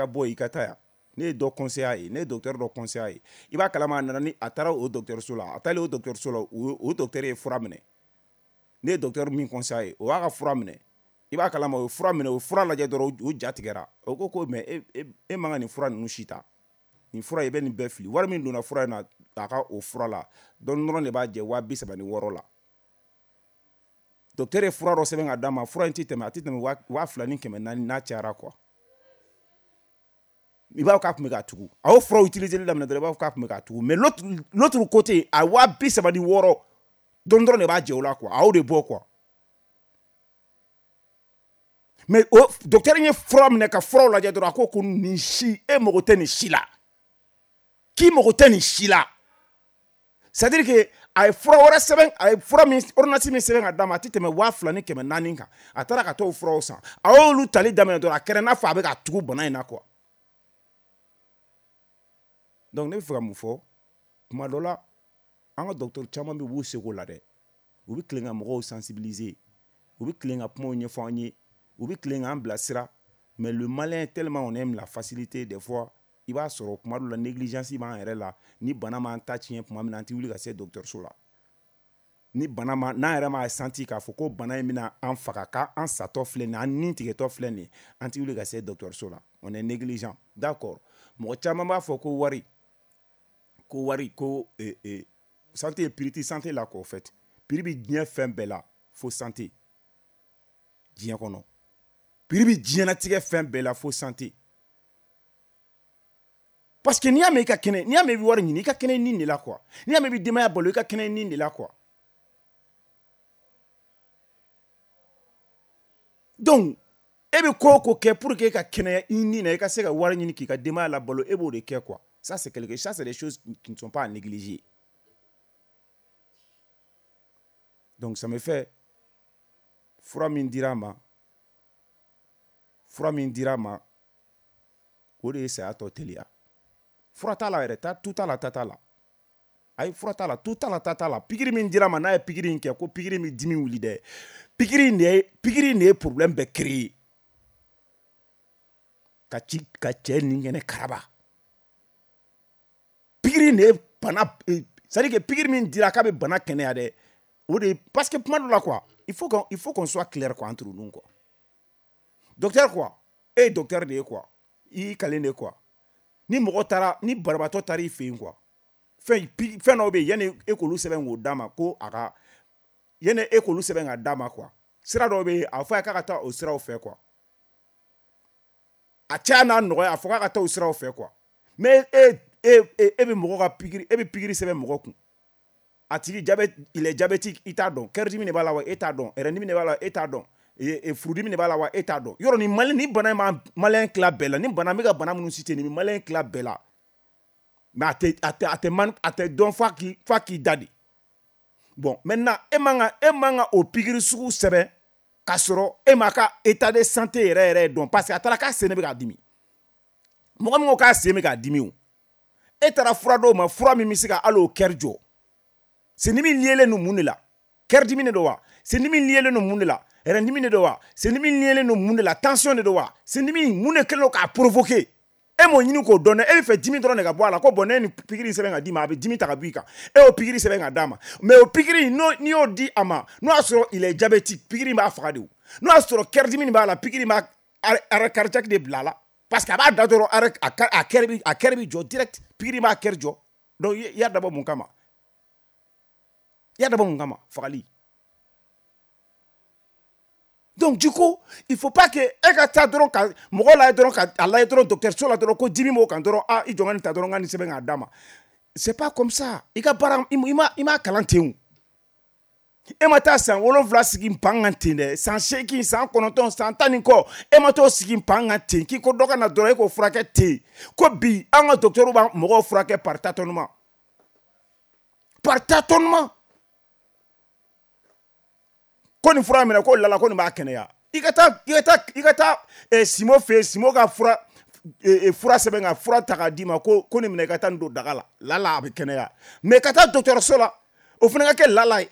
bɔ yen, i ka taa yan. Ne ye dɔ conseiller a ye, ne ye docteur dɔ conseiller a ye. I b'a kalama, a nana ni a taara o dɔgɔtɔrɔso la, a taalen o dɔgɔtɔrɔso la, o docteur ye fura minɛ. Ne ye docteur min conseiller a ye, o y'a ka fura minɛ. I b'a kalama, o ye fura minɛ, o ye fura lajɛ dɔrɔn, o ja tigɛra. O ko mais e man ka nin fura ninnu si ta, nin fura i bɛ nin bɛɛ fili. Wari min donna fura in na, a ka o fura la dɔɔni dɔrɔn de b'a jɛ 36,000 la. Docteur ye fura dɔ sɛbɛn ka d'a ma, fura in tɛ tɛmɛ, a tɛ tɛmɛ 2400 n'a cayara quoi. I b'a fɔ k'a tun bɛ k'a tugu, a y'o furaw utiliser daminɛ dɔrɔn, i b'a fɔ k'a tun bɛ k'a tugu. Mais l'autre côté, a 36,000 dɔrɔn dɔrɔn de b'a jɛ o la quoi, a y'o de bɔ quoi. Mais o docteur ye fura minɛ ka furaw lajɛ dɔrɔn, a ko nin si, e mago tɛ nin si la, k'i mago tɛ nin si la. C'est à dire que a ye fura wɛrɛ sɛbɛn, a ye fura min, ordonnance min sɛbɛn ka d'a ma, a tɛ tɛmɛ 2400 kan. A taara ka t'o furaw san, a y'olu tali daminɛ dɔrɔn, a kɛra i n'a fɔ a bɛ ka tugu bana in na quoi. Donc ne bɛ fɛ ka mun fɔ? Tuma dɔ la, an ka docteur caman bɛ yen, u b'u seko la dɛ, u bɛ tilen ka mɔgɔw sensibiliser, u bɛ tilen ka kumaw ɲɛfɔ an ye, u bɛ tilen k'an bilasira. Mais le Malien, tellement on aime la facilité, des fois i b'a sɔrɔ kuma dɔ la, négligence b'an yɛrɛ la. Ni bana m'an ta tiɲɛ tuma min na, an tɛ wuli ka se dɔgɔtɔrɔso la. Ni bana ma, n'an yɛrɛ m'a senti k'a fɔ ko bana in bɛna an faga, k'an satɔ filɛ nin ye, an ni tigɛtɔ filɛ nin ye, an tɛ wuli ka se dɔgɔtɔrɔso la. On est négligent, d'accord. Mɔgɔ caman b'a fɔ ko wari ko santé ye prix tɛ santé la quoi. Au fait, prix bɛ diɲɛ fɛn bɛɛ la fo santé. Diɲɛ kɔnɔ, prix bɛ diɲɛlatigɛ fɛn bɛɛ la fo santé, parce que n'i y'a mɛn i ka kɛnɛ, n'i y'a mɛn i bɛ wari ɲini, i ka kɛnɛ nin de la quoi. N'i y'a mɛn i bɛ denbaya balo, i ka kɛnɛ nin de la quoi. Donc e bɛ ko o ko kɛ pour que e ka kɛnɛya i ni na, i ka se ka wari ɲini k'i ka denbaya labalo, e b'o de kɛ quoi. Ça, c'est des choses qui ne sont pas à négliger. Donc ça me fait, fura min dira a ma, o de ye saya tɔ teliya. Fura t'a la yɛrɛ, ta tu t'a la, ta t'a la. Ayi, fura t'a la, tu t'a la, ta t'a la. Pikiri min dira ma, n'a ye pikiri in kɛ, ko pikiri min dimi wuli dɛ, pikiri in de ye problème bɛɛ créer ka ci ka cɛ ni kɛnɛ karaba. Pikiri in de ye bana, c'est à dire que pikiri min dira k'a bɛ bana kɛnɛya dɛ, o de. Parce que kuma dɔ la quoi, il faut qu'on soit clair quoi, entre nous quoi. Docteur quoi, e ye docteur de ye quoi, i y'i kalen de quoi. Ni mɔgɔ taara, ni banabaatɔ taara i fɛ yen quoi, fɛn dɔw bɛ yen, yanni e k'olu sɛbɛn k'o d'a ma, ko a ka, yanni e k'olu sɛbɛn k'a d'a ma quoi, sira dɔw bɛ yen, a fɔ a ye k'a ka taa o siraw fɛ quoi. A caya n'a nɔgɔya, a fɔ k'a ka taa o siraw fɛ quoi. Mais e bɛ mɔgɔ ka pikiri, e bɛ pikiri sɛbɛn mɔgɔ kun, a tigi diabète, il est diabétique, i t'a dɔn, cœur dimi de b'a la wa, e t'a dɔn, rein dimi de b'a la, e t'a dɔn, furudimi de b'a la wa, e t'a dɔn. Yɔrɔ ni mali ni bana in ma malien tila bɛɛ la. Ni bana, n bɛ ka bana minnu citer, nin bɛ malien tila bɛɛ la. Mais a tɛ man, a tɛ dɔn f'a k'i da de. Bon, maintenant, e man ka o pikiri sugu sɛbɛn k'a sɔrɔ e m'a ka état de santé yɛrɛ yɛrɛ dɔn. Parce que a taara k'a sen de bɛ k'a dimi. Mɔgɔ min ko k'a sen bɛ k'a dimi, o e taara fura dɔw ma, fura min bɛ se ka hali o cœur jɔ. Sendimi liélen don mun de la? Cœur dimi de don wa? Sendimi liélen don mun de la? Rein dimi de don wa? Sendimi liélen don mun de la? Tension de don wa? Sendimi, mun de kɛlen don k'a provoquer? E m'o ɲini k'o dɔn dɛ. E bɛ fɛ dimi dɔrɔn de ka bɔ a la. Ko bon, ne ye nin pikiri sɛbɛn ka d'i ma, a bɛ dimi ta ka bɔ i kan. E y'o pikiri sɛbɛn ka d'a ma, mais o pikiri, n'i y'o di a ma, n'o y'a sɔrɔ il est diabétique, pikiri b'a faga de. O n'o y'a sɔrɔ cœur dimi b'a la, pikiri b'a arrêt cardiaque de bila a la. Parce que a b'a da dɔrɔn, arrêt, a cœur bi jɔ direct. Pikiri b'a cœur jɔ. Donc i y'a dabɔ mun kama? I y'a dabɔ mun kama? Fagali. Donc du coup, il faut pas que e ka taa dɔrɔn ka mɔgɔ lajɛ dɔrɔn, ka a lajɛ dɔrɔn dɔgɔtɔrɔso la dɔrɔn, ko dimi b'o kan dɔrɔn, ah, i jɔ n ka nin ta dɔrɔn, n ka nin sɛbɛn k'a d'a ma. C'est pas comme ça. I ka baara, i ma kalan ten o. E ma taa san 7 sigi pan kan ten dɛ, san 8, san 9, san 10 ni kɔ, e ma t'o sigi pan kan ten k'i ko dɔ ka na dɔrɔn, e k'o furakɛ ten. Ko bi an ka docteur b'a mɔgɔw furakɛ par tâtonnement, par tâtonnement. Ko nin fura minɛ, ko lala, ko nin b'a kɛnɛya. I ka taa Simo fɛ yen, Simo ka fura sɛbɛn ka fura ta k'a d'i ma, ko nin minɛ, i ka taa nin don daga la, lala a bɛ kɛnɛya. Mais ka taa dɔgɔtɔrɔso la, o fana ka kɛ lala ye,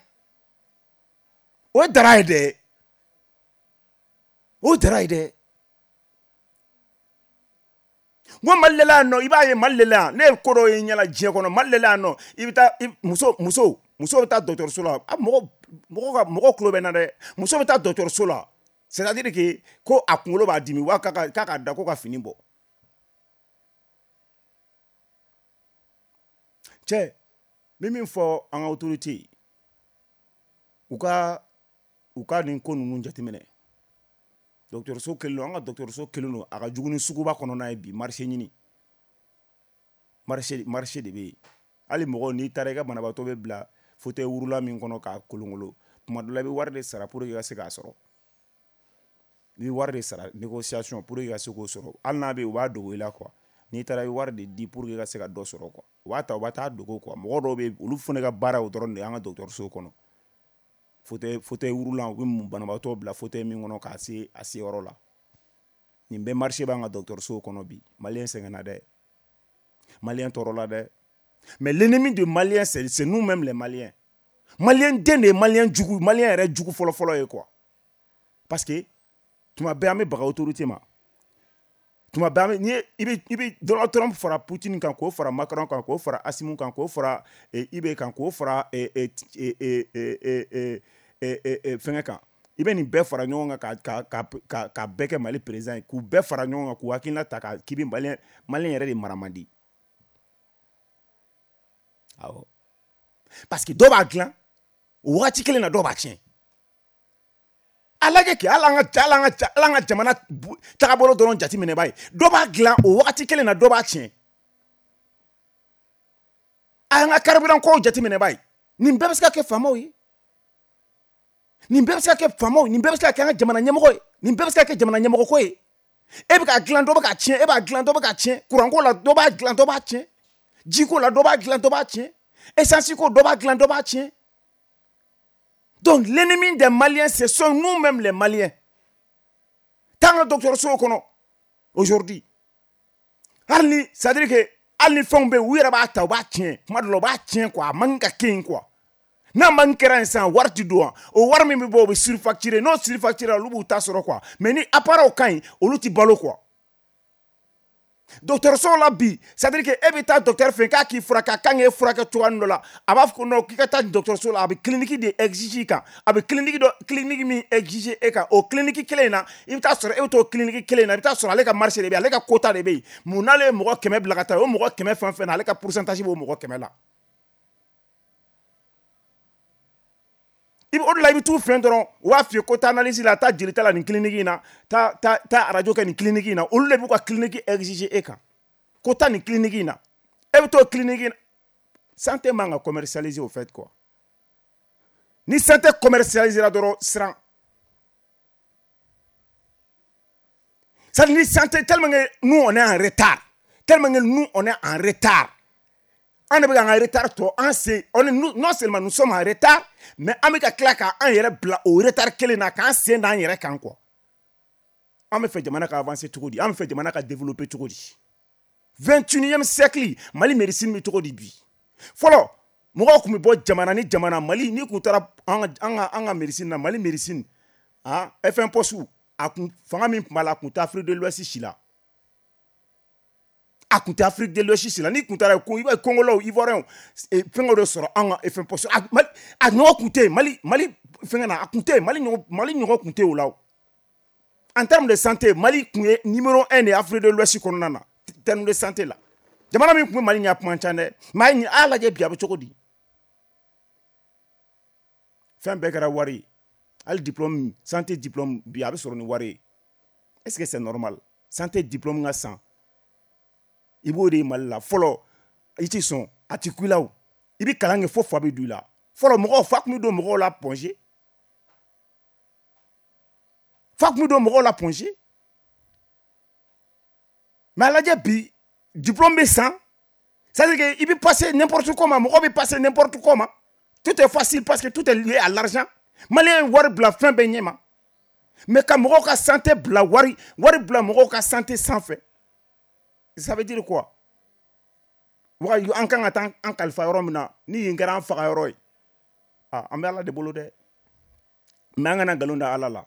o ye dara ye dɛ, o ye dara ye dɛ. N ko Mali de la yan nɔ, i b'a ye Mali de la yan, ne ye ko dɔw ye n ɲɛna diɲɛ kɔnɔ. Mali de la yan nɔ, i bɛ taa muso bɛ taa dɔgɔtɔrɔso la. A mɔgɔ ka mɔgɔ tulo bɛ n na dɛ. Muso bɛ taa dɔgɔtɔrɔso la, c'est à dire que ko a kunkolo b'a dimi wa, k'a ka da ko ka fini bɔ. Cɛ, n bɛ min fɔ an ka autorité ye, u ka nin ko ninnu jateminɛ. Dɔgɔtɔrɔso kelen don, an ka dɔgɔtɔrɔso kelen don, a ka jugu ni suguba kɔnɔna ye bi. Marché ɲini, marché de bɛ yen. Hali mɔgɔw, n'i taara, i ka banabaatɔ bɛ bila fauteuil roulant min kɔnɔ k'a kolonkolon, tuma dɔ la i bɛ wari de sara pour que i ka se k'a sɔrɔ. I bɛ wari de sara, négociation, pour que i ka se k'o sɔrɔ. Hali n'a bɛ yen, u b'a dogo i la quoi. N'i taara, i bɛ wari de di pour que i ka se ka dɔ sɔrɔ quoi. U b'a ta, u b'a taa dogo quoi. Mɔgɔ dɔw bɛ yen, olu fana ka baara o dɔrɔn de ye an ka dɔgɔtɔrɔso kɔnɔ. Fauteuil roulant, u bɛ banabaatɔ bila fauteuil min kɔnɔ k'a se a seyɔrɔ la. Nin bɛɛ marché b'an ka dɔgɔtɔrɔso kɔnɔ bi. Malien sɛgɛnna dɛ, malien tɔɔrɔla dɛ. Mais l'ennemi de malien, c'est nous-mêmes les maliens. Malien den de ye malien jugu, malien yɛrɛ jugu fɔlɔ-fɔlɔ ye quoi. Parce que tuma bɛɛ an bɛ baga autorité ma. Tuma bɛɛ an bɛ, n'i ye, i bɛ Donald Trump fara Poutine kan, k'o fara Macron kan, k'o fara Assimi kan, k'o fara IB kan, k'o fara fɛngɛ kan, i bɛ nin bɛɛ fara ɲɔgɔn kan ka bɛɛ kɛ Mali président ye, k'u bɛɛ fara ɲɔgɔn kan, k'u hakilina ta k'i bɛ malien yɛrɛ de mara man di. Awɔ, parce que dɔw b'a dilan o wagati kelen na, dɔw b'a tiɲɛ. A lajɛ kɛ, hali an ka jamana tagabolo dɔrɔn jateminɛ b'a ye, dɔ b'a dilan o wagati kelen na, dɔ b'a tiɲɛ. A y'an ka carburant kow jateminɛ b'a ye. Nin bɛɛ bɛ se ka kɛ faamaw ye, nin bɛɛ bɛ se ka kɛ faamaw, nin bɛɛ bɛ se ka kɛ an ka jamana ɲɛmɔgɔ ye, nin bɛɛ bɛ se ka kɛ jamana ɲɛmɔgɔ ko ye. E bɛ k'a dilan, dɔ bɛ k'a tiɲɛ. E b'a dilan, dɔ bɛ k'a tiɲɛ. Kuranko la, dɔ b'a dilan, dɔ b'a tiɲɛ. Jiko la, dɔ b'a dilan, dɔ b'a tiɲɛ. Essence ko, dɔ b'a dilan, dɔ b'a tiɲɛ. Donc l'ennemi des Maliens, ce sont nous-mêmes les Maliens. Tant que dɔgɔtɔrɔso kɔnɔ aujourd'hui, hali ni, c'est à dire que Hali ni fɛnw bɛ yen, u yɛrɛ b'a ta, u b'a tiɲɛ. Tuma dɔ la u b'a tiɲɛ quoi, a man ka kɛ yen quoi. N'a man kɛra yen sisan, wari ti don wa. O wari min bɛ bɔ, o bɛ surfacturer. N'o surfacturer, olu b'u ta sɔrɔ quoi. Mais ni appareil ka ɲi, olu ti balo quoi. Dɔgɔtɔrɔso la bi, c'est à dire que e bɛ taa docteur fɛ k'a k'i furakɛ, a kan k'e furakɛ cogoya dɔ la, a b'a fɔ ko non, k'i ka taa dɔgɔtɔrɔso la, a bɛ clinique de exiger kan. A bɛ clinique dɔ, clinique min exiger e kan, o clinique kelen in na, i bɛ taa sɔrɔ e bɛ t'o clinique kelen in na, i bɛ taa sɔrɔ ale ka marché de bɛ yen, ale ka quota de bɛ yen. Mun n'ale ye mɔgɔ 100 bila ka taa, o mɔgɔ 100 fɛn fɛn na, ale ka pourcentage b'o mɔgɔ 100 la. I bɛ o de la, i bɛ t'u fɛ dɔrɔn, u b'a f'i ye ko taa analyse la, taa jelita la nin clinique in na, taa taa taa radio kɛ nin clinique in na. Olu de b'u ka clinique exiger e kan, ko taa nin clinique in na, e bɛ t'o clinique in. Santé man ka commercialiser au fait quoi. Ni santé commercialisera dɔrɔn, siran. Ça ni santé, tellement que nous on est en retard, tellement que nous on est en retard. An de bɛ k'an ka retard tɔ an sen, on est, nous, non seulement nous sommes en retard, mais an bɛ ka tila k'an yɛrɛ bila o retard kelen na, k'an sen d'an yɛrɛ kan quoi. An bɛ fɛ jamana ka avancer cogo di? An bɛ fɛ jamana ka développer cogo di? 21e siècle, Mali médecine bɛ cogo di bi? Fɔlɔ, mɔgɔw tun bɛ bɔ jamana ni jamana, Mali n'i kun taara an ka médecine na, Mali médecine, ah, FN poste, a kun fanga min tun b'a la, a kun tɛ Afrique de l'Ouest si la. A kun tɛ Afrique de l'Ouest si la. N'i kun taara ko i b'a ye Congolais, Ivoiriens, fɛngɛw de sɔrɔ an ka FN poste. A Mali, a ɲɔgɔn kun tɛ yen. Mali fɛngɛ na, a kun tɛ yen. Mali ɲɔgɔn kun tɛ o la o. En termes de santé, Mali kun ye numéro 1 de Afrique de l'Ouest kɔnɔna na, terme de santé la. Jamana min kun bɛ Mali ɲɛ, kuma ca dɛ. Mais a y'a lajɛ bi, a bɛ cogo di? Fɛn bɛɛ kɛra wari ye. Hali diplôme, santé diplôme bi, a bɛ sɔrɔ ni wari ye. Est-ce que c'est normal? Santé diplôme ka san, i b'o de ye Mali la. Fɔlɔ, i ti sɔn, a ti ku i la o. I bɛ kalan kɛ fo fa bɛ don i la. Fɔlɔ, mɔgɔw fa tun bɛ don mɔgɔw la Point G, fa tun bɛ don mɔgɔw la Point G. Mais a lajɛ bi, diplôme bɛ san, c'est à dire que i bɛ passer n'importe comment, mɔgɔ bɛ passer n'importe comment. Tout est facile parce que tout est lié à l'argent. Malien ye wari bila fɛn bɛɛ ɲɛ ma, mais ka mɔgɔw ka santé bila, wari bila mɔgɔw ka santé sanfɛ, ça veut dire quoi? Waga an kan ka taa an kalifa yɔrɔ min na, ni yen kɛra an faga yɔrɔ ye, ah, an bɛ Ala de bolo dɛ. Mais an kana nkalon da Ala la.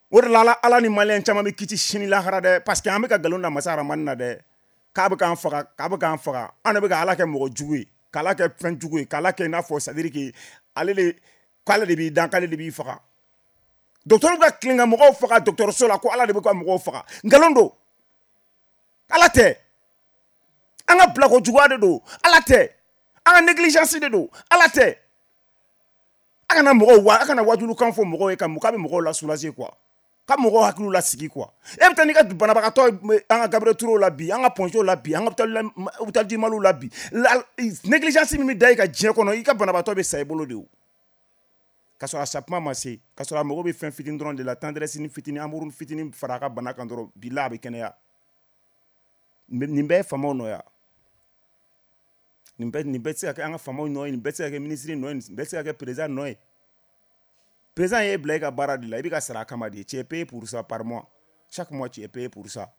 O de la, Ala ni malien caman bɛ kiti sini lahara dɛ, parce que an bɛ ka nkalon da masa Aramani na dɛ, k'a bɛ k'an faga, k'a bɛ k'an faga. An de bɛ ka Ala kɛ mɔgɔ jugu ye, k'Ala kɛ fɛn jugu ye, k'Ala kɛ i n'a fɔ, c'est à dire que ale de, k'ale de b'i dan, k'ale de b'i faga. Docteur bɛ ka tilen ka mɔgɔw faga dɔgɔtɔrɔso la, ko Ala de bɛ ka mɔgɔw faga. Nkalon don, Ala tɛ. An ka bilako juguya de don, Ala tɛ. An ka négligence de don, Ala tɛ. A kana mɔgɔw wa, a kana wajulukan fɔ mɔgɔw ye ka k'a bɛ mɔgɔw la soulager quoi, ka mɔgɔw hakiliw lasigi quoi. E bɛ taa n'i ka banabagatɔ ye an ka Gabriel Touré la bi, an ka Point G la bi, an ka hôpital du Mali la bi, négligence min bɛ da i ka diɲɛ kɔnɔ, i ka banabagatɔ bɛ sa i bolo de o, k'a sɔrɔ a sakuma ma se, k'a sɔrɔ a mago bɛ fɛn fitinin dɔrɔn de la, tendresse ni fitinin, amour fitinin fara a ka bana kan dɔrɔn, bi la a bɛ kɛnɛya. Nin bɛɛ ye faamaw nɔ ya. Nin bɛɛ tɛ se ka kɛ an ka faamaw nɔ ye, nin bɛɛ tɛ se ka kɛ minisiri nɔ ye, nin bɛɛ tɛ se ka kɛ président nɔ ye. Président y'e bila i ka baara de la, i bɛ ka sara a kama de. Tu es payé pour ça par mois, chaque mois tu es payé pour ça.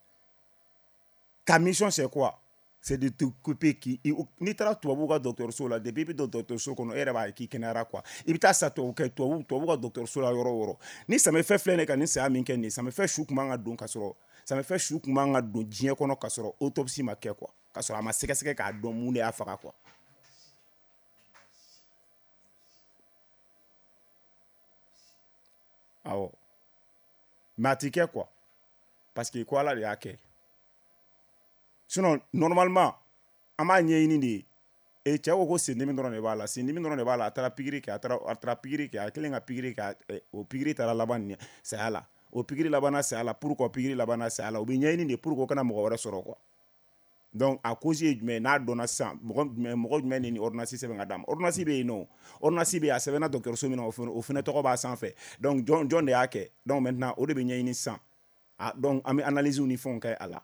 Ta mission, c'est quoi? C'est de t'occuper. K'i n'i taara tubabuw ka dɔgɔtɔrɔso la, depuis i bɛ don dɔgɔtɔrɔso kɔnɔ, e yɛrɛ b'a ye k'i kɛnɛyara quoi. I bɛ taa sa tubabu kɛ tubabu ka dɔgɔtɔrɔso la yɔrɔ o yɔrɔ, ni samefɛ filɛ nin ye ka nin saya min kɛ nin ye, samefɛ su tun man ka don ka sɔrɔ, samefɛ su tun man ka don diɲɛ kɔnɔ ka sɔrɔ autopsie ma kɛ quoi, ka sɔrɔ a ma sɛgɛsɛgɛ k'a dɔn mun de y'a faga quoi. Awɔ, mais a ti kɛ quoi, parce que ko Ala de y'a kɛ. Sinon normalement an b'a ɲɛɲini de ye. E cɛ ko sendimi dɔrɔn de b'a la, sendimi dɔrɔn de b'a la. A taara pikiri kɛ, a taara pikiri kɛ, a kɛlen ka pikiri kɛ, o pikiri taara laban nin saya la, o pikiri labanna saya la. Pourquoi pikiri labanna saya la? O bɛ ɲɛɲini de pour que o kana mɔgɔ wɛrɛ sɔrɔ quoi. Donc a cause ye jumɛn ye? N'a dɔnna sisan, mɔgɔ jumɛn de ni ordonnance sɛbɛn ka d'a ma? Ordonnance bɛ yen nɔ, ordonnance bɛ yen, a sɛbɛnna dɔgɔtɔrɔso min na, o fɛnɛ tɔgɔ b'a sanfɛ. Donc jɔn de y'a kɛ? Donc maintenant o de bɛ ɲɛɲini sisan. Ah, donc an bɛ analyse ni fɛnw kɛ a la,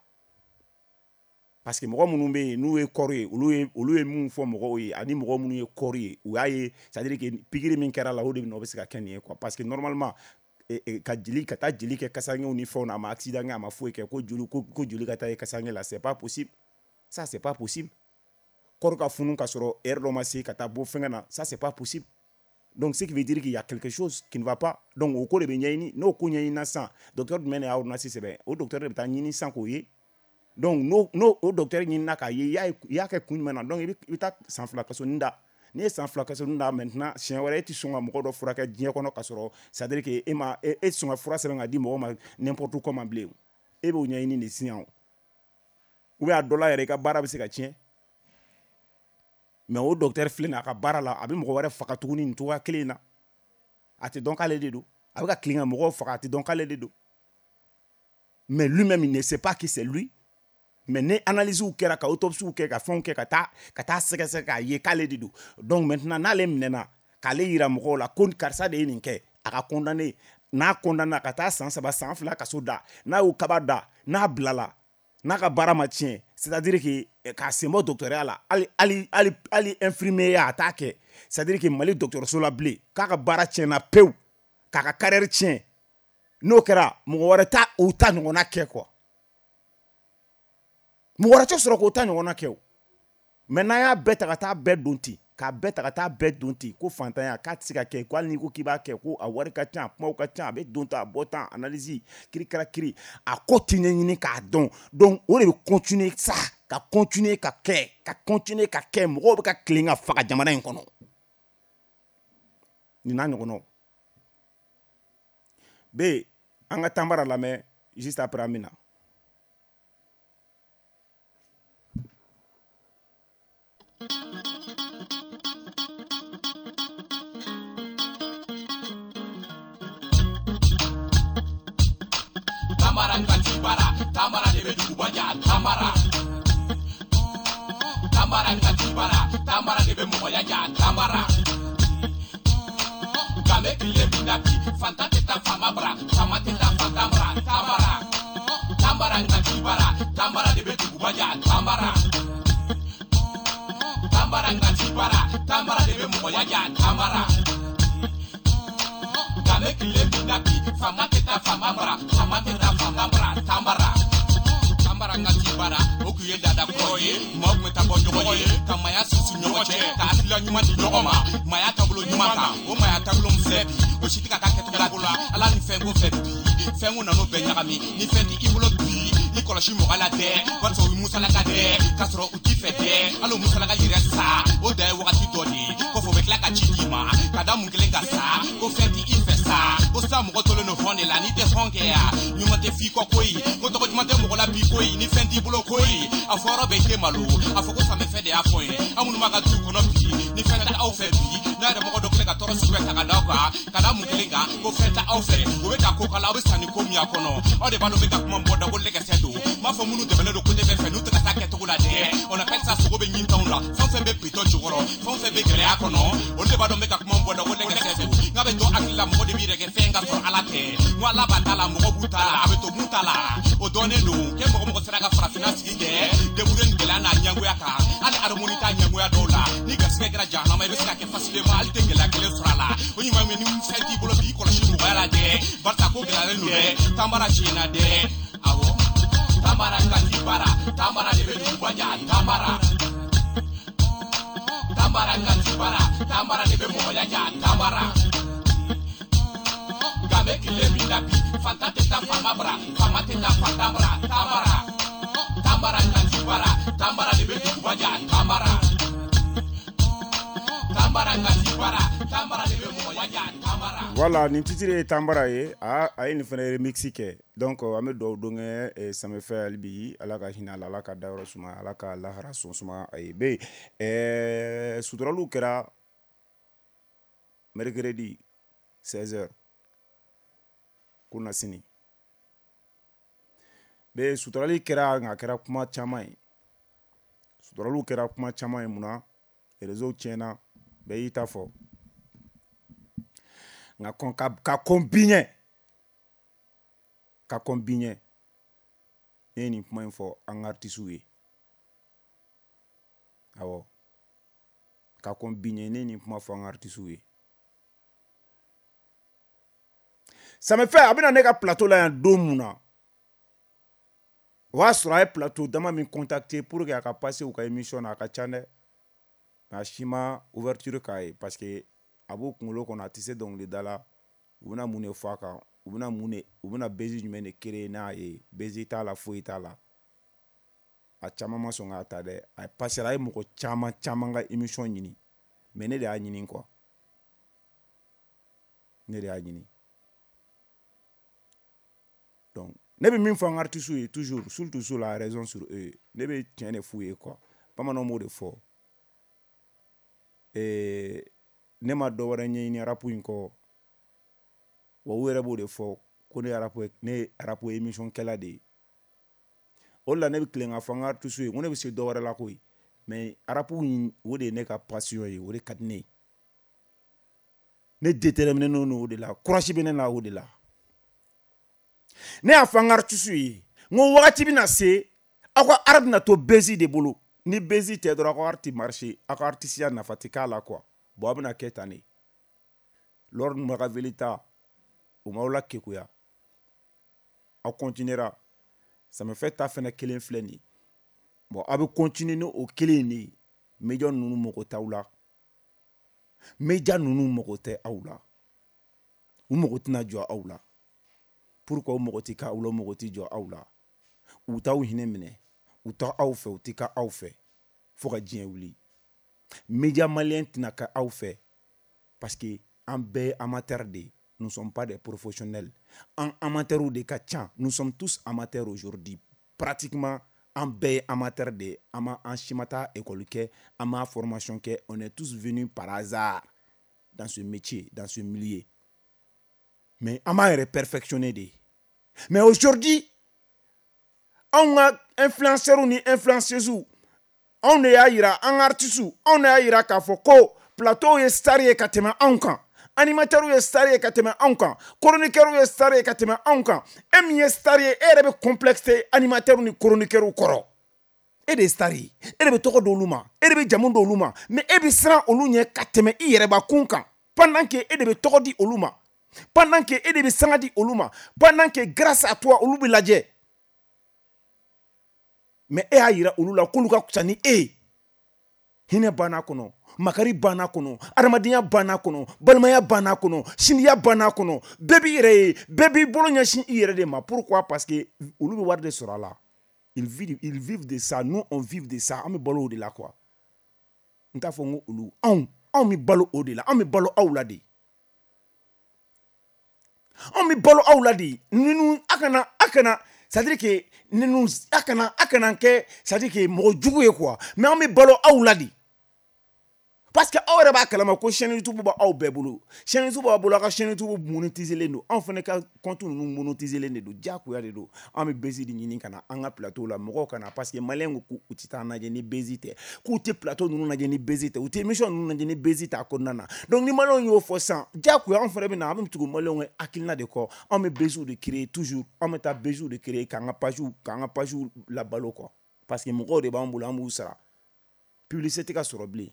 parce que mɔgɔ minnu bɛ yen n'u ye corps ye, olu ye mun fɔ mɔgɔw ye, ani mɔgɔ minnu ye corps ye, u y'a ye, c'est à dire que pikiri min kɛra la, o de bɛ na, o bɛ se ka kɛ nin ye quoi. Parce que normalement ka jeli ka taa jeli kɛ kasangew ni fɛnw na, a ma accident kɛ, a ma foyi kɛ, ko joli ka taa ye kasange la, c'est pas possible. Ça, c'est pas possible. Corps ka funu ka sɔrɔ heure dɔ ma se ka taa bɔ fɛngɛ na, ça, c'est pas possible. Donc, ce qui veut dire qu'il y a quelque chose qui ne va pas. Donc, o ko de bɛ ɲɛɲini. N'o ko ɲɛɲinina sisan, docteur jumɛn de y'a ordonnance sɛbɛn? O docteur de bɛ taa ɲini sisan k'o ye. Donc, n'o o docteur ɲinina k'a ye, i y'a kɛ kun jumɛn na? Donc, i bɛ taa san 2 kasonin da. N'i ye san 2 kasonin da, maintenant, siɲɛ wɛrɛ e tɛ sɔn ka mɔgɔ dɔ furakɛ diɲɛ kɔnɔ ka sɔrɔ, c'est à dire que e ma e tɛ sɔn ka fura sɛbɛn ka di mɔgɔ ma n'importe comment bilen. E b'o ɲɛɲini de sisan o. Ou bien a dɔ la yɛrɛ, i ka baara bɛ se ka tiɲɛ. Mais o docteur filɛ nin ye, a ka baara la, a bɛ mɔgɔ wɛrɛ faga tuguni nin cogoya kelen in na. A tɛ dɔn k'ale de don. A bɛ ka tilen ka mɔgɔw faga, a tɛ dɔn k'ale de don. Mais lui-même, il ne sait pas que c'est lui. Mais ni analyse kɛra, ka autopsie kɛ, ka fɛnw kɛ, ka taa sɛgɛsɛgɛ k'a ye k'ale de don. Donc maintenant, n'ale minɛna, k'ale yira mɔgɔw la ko karisa de ye nin kɛ, a ka condamné. N'a condamné, ka taa san 3, san 2 kaso da, n'a y'o kaba da, n'a bilala, n'a ka baara ma tiɲɛ, c'est-à-dire que k'a sen bɔ docteurya la, hali infirmier ya, a t'a kɛ. C'est-à-dire que Mali dɔgɔtɔrɔso la bilen, k'a ka baara tiɲɛna pewu, k'a ka carrière tiɲɛ. N'o kɛra, mɔgɔ wɛrɛ t'a o ta ɲɔgɔnna kɛ quoi. Mɔgɔ wɛrɛ tɛ sɔrɔ k'o ta ɲɔgɔnna kɛ o. Mais n'an y'a bɛɛ ta ka taa bɛɛ don ten, k'a bɛɛ ta ka taa bɛɛ don ten, ko fantanya k'a tɛ se ka kɛ, ko hali n'i ko k'i b'a kɛ, ko a wari ka ca, a kumaw ka ca, a bɛ don tan, a bɔ tan, analyse kirikara kiri, a ko tɛ ɲɛɲini k'a dɔn. Donc o de bɛ continuer sa, ka continuer ka kɛ, ka continuer ka kɛ. Mɔgɔw bɛ ka tilen ka faga jamana in kɔnɔ, nin n'a ɲɔgɔnnaw bɛ. An ka Tanbara lamɛn juste après, an bɛ na. Tamara ka bara, Tamara de bɛ duguba ja. Tamara, Tamara ka bara, Tamara de bɛ mɔgɔya ja. Tamara nka bɛ tile min na bi, fantan tɛ taa faama bara, faama tɛ taa fantan bara. Tamara, Tamara ka bara, Tamara de bɛ duguba ja. Tamara, Tamara ka bara, Tamara de bɛ mɔgɔya ja. Tamara nka bɛ tile min na bi, faama tɛ taa faama bara, faama tɛ taa fantan bara. Tamara, Tambara ka bara, o kun ye laada kɔrɔ ye. Maaw tun bɛ taa bɔ ɲɔgɔn ye, ka maaya sinsin ɲɔgɔn cɛ, ka hakilila ɲuman di ɲɔgɔn ma, maaya taabolo ɲuman kan. O maaya taabolo min filɛ bi, o si tɛ ka taa kɛcogo la ala ni fɛn ko fɛ bi. Fɛn ko nan'o bɛɛ ɲagami. Ni fɛn tɛ i bolo bi, i kɔlɔsi mɔgɔ la dɛ, barisa o ye musalaka dɛ, k'a sɔrɔ u t'i fɛ dɛ. Hali o musalaka yɛrɛ sa, o dan ye wagati dɔ de ye. Kɔfɛ, o bɛ tila ka ci d'i ma ka da mun kelen kan sa, ko fɛn t'i i fɛ sa, ko sa mɔgɔ tolen don hɔn de la. N'i tɛ hɔn kɛ ya, ɲuman tɛ f'i kɔ koyi, ko tɔgɔ ɲuman tɛ mɔgɔ la bi koyi. Ni fɛn t'i bolo koyi, a fɔ yɔrɔ bɛɛ i tɛ malo. A fɔ ko Samefɛ de y'a fɔ n ye. An minnu b'a ka du kɔnɔ bi, ni fɛn tɛ aw fɛ bi, n'a yɛrɛ mɔgɔ dɔ filɛ ka tɔɔrɔ sugu bɛɛ ta ka da aw kan, ka da mun kelen kan, ko fɛn tɛ aw fɛ, o bɛ ka ko kala, aw bɛ sanni ko min y'a kɔnɔ, aw de b'a dɔn bɛ ka kuma bɔ da ko lɛgɛsɛ don. N b'a fɔ minnu dɛmɛnen don côté bɛɛ fɛ, n'u tɛ ka taa kɛcogo la dɛ, on appelle ça sogo bɛ ɲintanw la. Fɛn o fɛn bɛ bitɔn jukɔrɔ, fɛn o fɛn bɛ gɛlɛya kɔnɔ, olu de b'a dɔn bɛ ka kuma bɔ da ko lɛgɛsɛ don. N k'a bɛ to hakili la, mɔgɔ de b'i yɛrɛ kɛ fɛn ka sɔrɔ Ala tɛ. N ko Ala b'a ta la, mɔgɔ b'u ta la, a bɛ to mun ta la, o dɔnnen don. Kɛ mɔgɔ mɔgɔ sera ka farafinna sigi kɛ débrouiller ni gɛlɛya n'a ɲɛngoya kan, hali harmonie t'a ɲɛngoya dɔw la. Ni garisɛgɛ kɛra jahanama, i bɛ se ka kɛ facilement, hali tɛ gɛlɛya kelen sɔrɔ a la. O ɲuman min, ni fɛn t'i bolo bi, i kɔlɔsi mɔgɔya la dɛ, barisa ko gɛlɛyalen don dɛ. Tanbara tiɲɛna dɛ, awɔ. Tambara ka bara, Tambara de bɛ duguba ja. Tambara, Tambara ka bara, Tambara de bɛ mɔgɔya ja. Tambara nka bɛ tile min na bi, fantan tɛ taa faama bara, faama tɛ taa fantan bara. Tambara, Tambara ka bara, Tambara de bɛ duguba ja. Tambara, Tambara ka bara, Tambara de bɛ mɔgɔya ja. Tambara. Voilà, nin titre ye Tanbara ye. A ye nin fana remix kɛ. Donc an bɛ dugawu don kɛ Samefɛ hali bi, Ala ka hinɛ a la, Ala ka dayɔrɔ suma, Ala ka lahara sɔn suma a ye. Bɛ suturaliw kɛra mercredi 16h kunasini. Bɛ suturali kɛra, nka a kɛra kuma caman ye. Suturaliw kɛra kuma caman ye. Munna réseau tiɲɛna, bɛɛ y'i ta fɔ. Nka kɔn ka kɔn bi ɲɛ, ka kɔn bi ɲɛ, ne ye nin kuma in fɔ an ka artistes ye. Awɔ, ka kɔn bi ɲɛ, ne ye nin kuma fɔ an ka artistes ye. Samefɛ a bɛna ne ka plateau la yan don mun na, O y'a sɔrɔ a ye plateau dama min contacter pour que a ka passer u ka émission na, a ka ca dɛ, mais a si ma ouverture k'a ye, parce que a b'u kunkolo kɔnɔ, a tɛ se dɔnkilida la. U bɛna mun de fɔ a kan? U bɛna mun de, u bɛna buzz jumɛn de créer n'a ye? Buzz t'a la, foyi t'a la. A caman ma sɔn k'a ta dɛ. A passera, a ye mɔgɔ caman caman ka émission ɲini, mais ne de y'a ɲini quoi, ne de y'a ɲini. Donc ne bɛ min fɔ an ka artistes ye toujours, surtout sur la raison sur eux, ne bɛ tiɲɛ de f'u ye quoi. Bamananw b'o de fɔ. Ne ma dɔ wɛrɛ ɲɛɲini rap in kɔ wa. U yɛrɛ b'o de fɔ ko ne ye rap, ne ye rap émission kɛla de ye. O de la ne bɛ tilen k'a fɔ an ka artistes ye ko ne bɛ se dɔ wɛrɛ la koyi, mais rap in, o de ye ne ka passion ye, o de ka di ne ye. Ne déterminé don o de la, courage bɛ ne la o de la. Ne y'a fɔ an ka artistes ye n ko wagati bɛna se, aw ka art bɛna to buzz de bolo. Ni buzz tɛ dɔrɔn, aw ka art tɛ marcher, aw ka artisiya nafa tɛ k'a la quoi. Bon, a bɛna kɛ tan de. Lord Makaveli ta, o m'aw la kekuya, aw continuera. Samefɛ ta fɛnɛ kelen filɛ nin ye. Bon, aw bɛ continuer ni o kelen in de ye. Média ninnu mago t'aw la, média ninnu mago tɛ aw la, u mago tɛna jɔ aw la. Pourquoi u mago tɛ k'aw la, u mago tɛ jɔ aw la? U t'aw hinɛ minɛ, u t'aw fɛ, u tɛ k'aw fɛ fo ka diɲɛ wuli. Média malien tɛna kɛ aw fɛ, parce que an bɛɛ ye amateur de ye. Nous sommes pas des professionnels, an amateurs de ka ca. Nous sommes tous amateurs aujourd'hui, pratiquement an bɛɛ ye amateur de ye. An ma, an si ma taa école kɛ, an ma formation kɛ. On est tous venus par hasard dans ce métier, dans ce milieu, mais an b'an yɛrɛ perfectionner de. Mais aujourd'hui, anw ka influenceurs ni influenceuses, anw de y'a yira, an ka artistes, anw de y'a yira k'a fɔ ko plateau ye star ye ka tɛmɛ anw kan, animateurs ye star ye ka tɛmɛ anw kan, chroniqueurs ye star ye ka tɛmɛ anw kan. E min ye star ye, e yɛrɛ bɛ complexe animateurs ni chroniqueurs kɔrɔ. E de ye star ye, e de bɛ tɔgɔ d'olu ma, e de bɛ jamu d'olu ma, mais e bɛ siran olu ɲɛ ka tɛmɛ i yɛrɛbakun kan, pendant que e de bɛ tɔgɔ di olu ma, pendant que e de bɛ sanga di olu ma, pendant que grâce à toi olu bɛ lajɛ. Mais e y'a yira olu la k'olu ka fisa ni e ye. Hinɛ banna kɔnɔ, makari banna kɔnɔ, adamadenya banna kɔnɔ, balimaya banna kɔnɔ, sindiya banna kɔnɔ. Bɛɛ b'i yɛrɛ ye, bɛɛ b'i bolo ɲɛsin i yɛrɛ de ma. Pourquoi? Parce que olu bɛ wari de sɔrɔ a la. Ils vivent, ils vivent de ça. Nous, on vit de ça. An bɛ balo o de la quoi. N t'a fɔ n ko olu, anw, anw bɛ balo o de la, an bɛ balo aw la de, anw bɛ balo aw la de. Ninnu, a kana, c'est à dire que ninnu, a kana kɛ, c'est à dire que mɔgɔ jugu ye quoi, mais an bɛ balo aw la de, parce que aw yɛrɛ b'a kalama ko chaîne YouTube b'aw bɛɛ bolo. Chaîne YouTube b'a bolo, aw ka chaîne YouTube monétiser len don. Anw fana ka compte ninnu monétiser len de don, diyagoya de don. An bɛ buzz de ɲini ka na an ka plateau la, mɔgɔw ka na, parce que maliyɛn ko k'u tɛ taa lajɛ ni buzz tɛ, k'u tɛ plateau ninnu lajɛ ni buzz tɛ, u tɛ émission ninnu lajɛ ni buzz tɛ a kɔnɔna na. Donc ni maliyɛnw y'o fɔ sisan, diyagoya anw fana bɛ na, an bɛ tugu maliyɛnw ka hakilina de kɔ. Anw bɛ buzz de créer toujours, anw bɛ taa buzz de créer k'an ka page labalo quoi, parce que mɔgɔw de b'an bolo, an b'u sara. Publicité tɛ ka sɔrɔ bilen.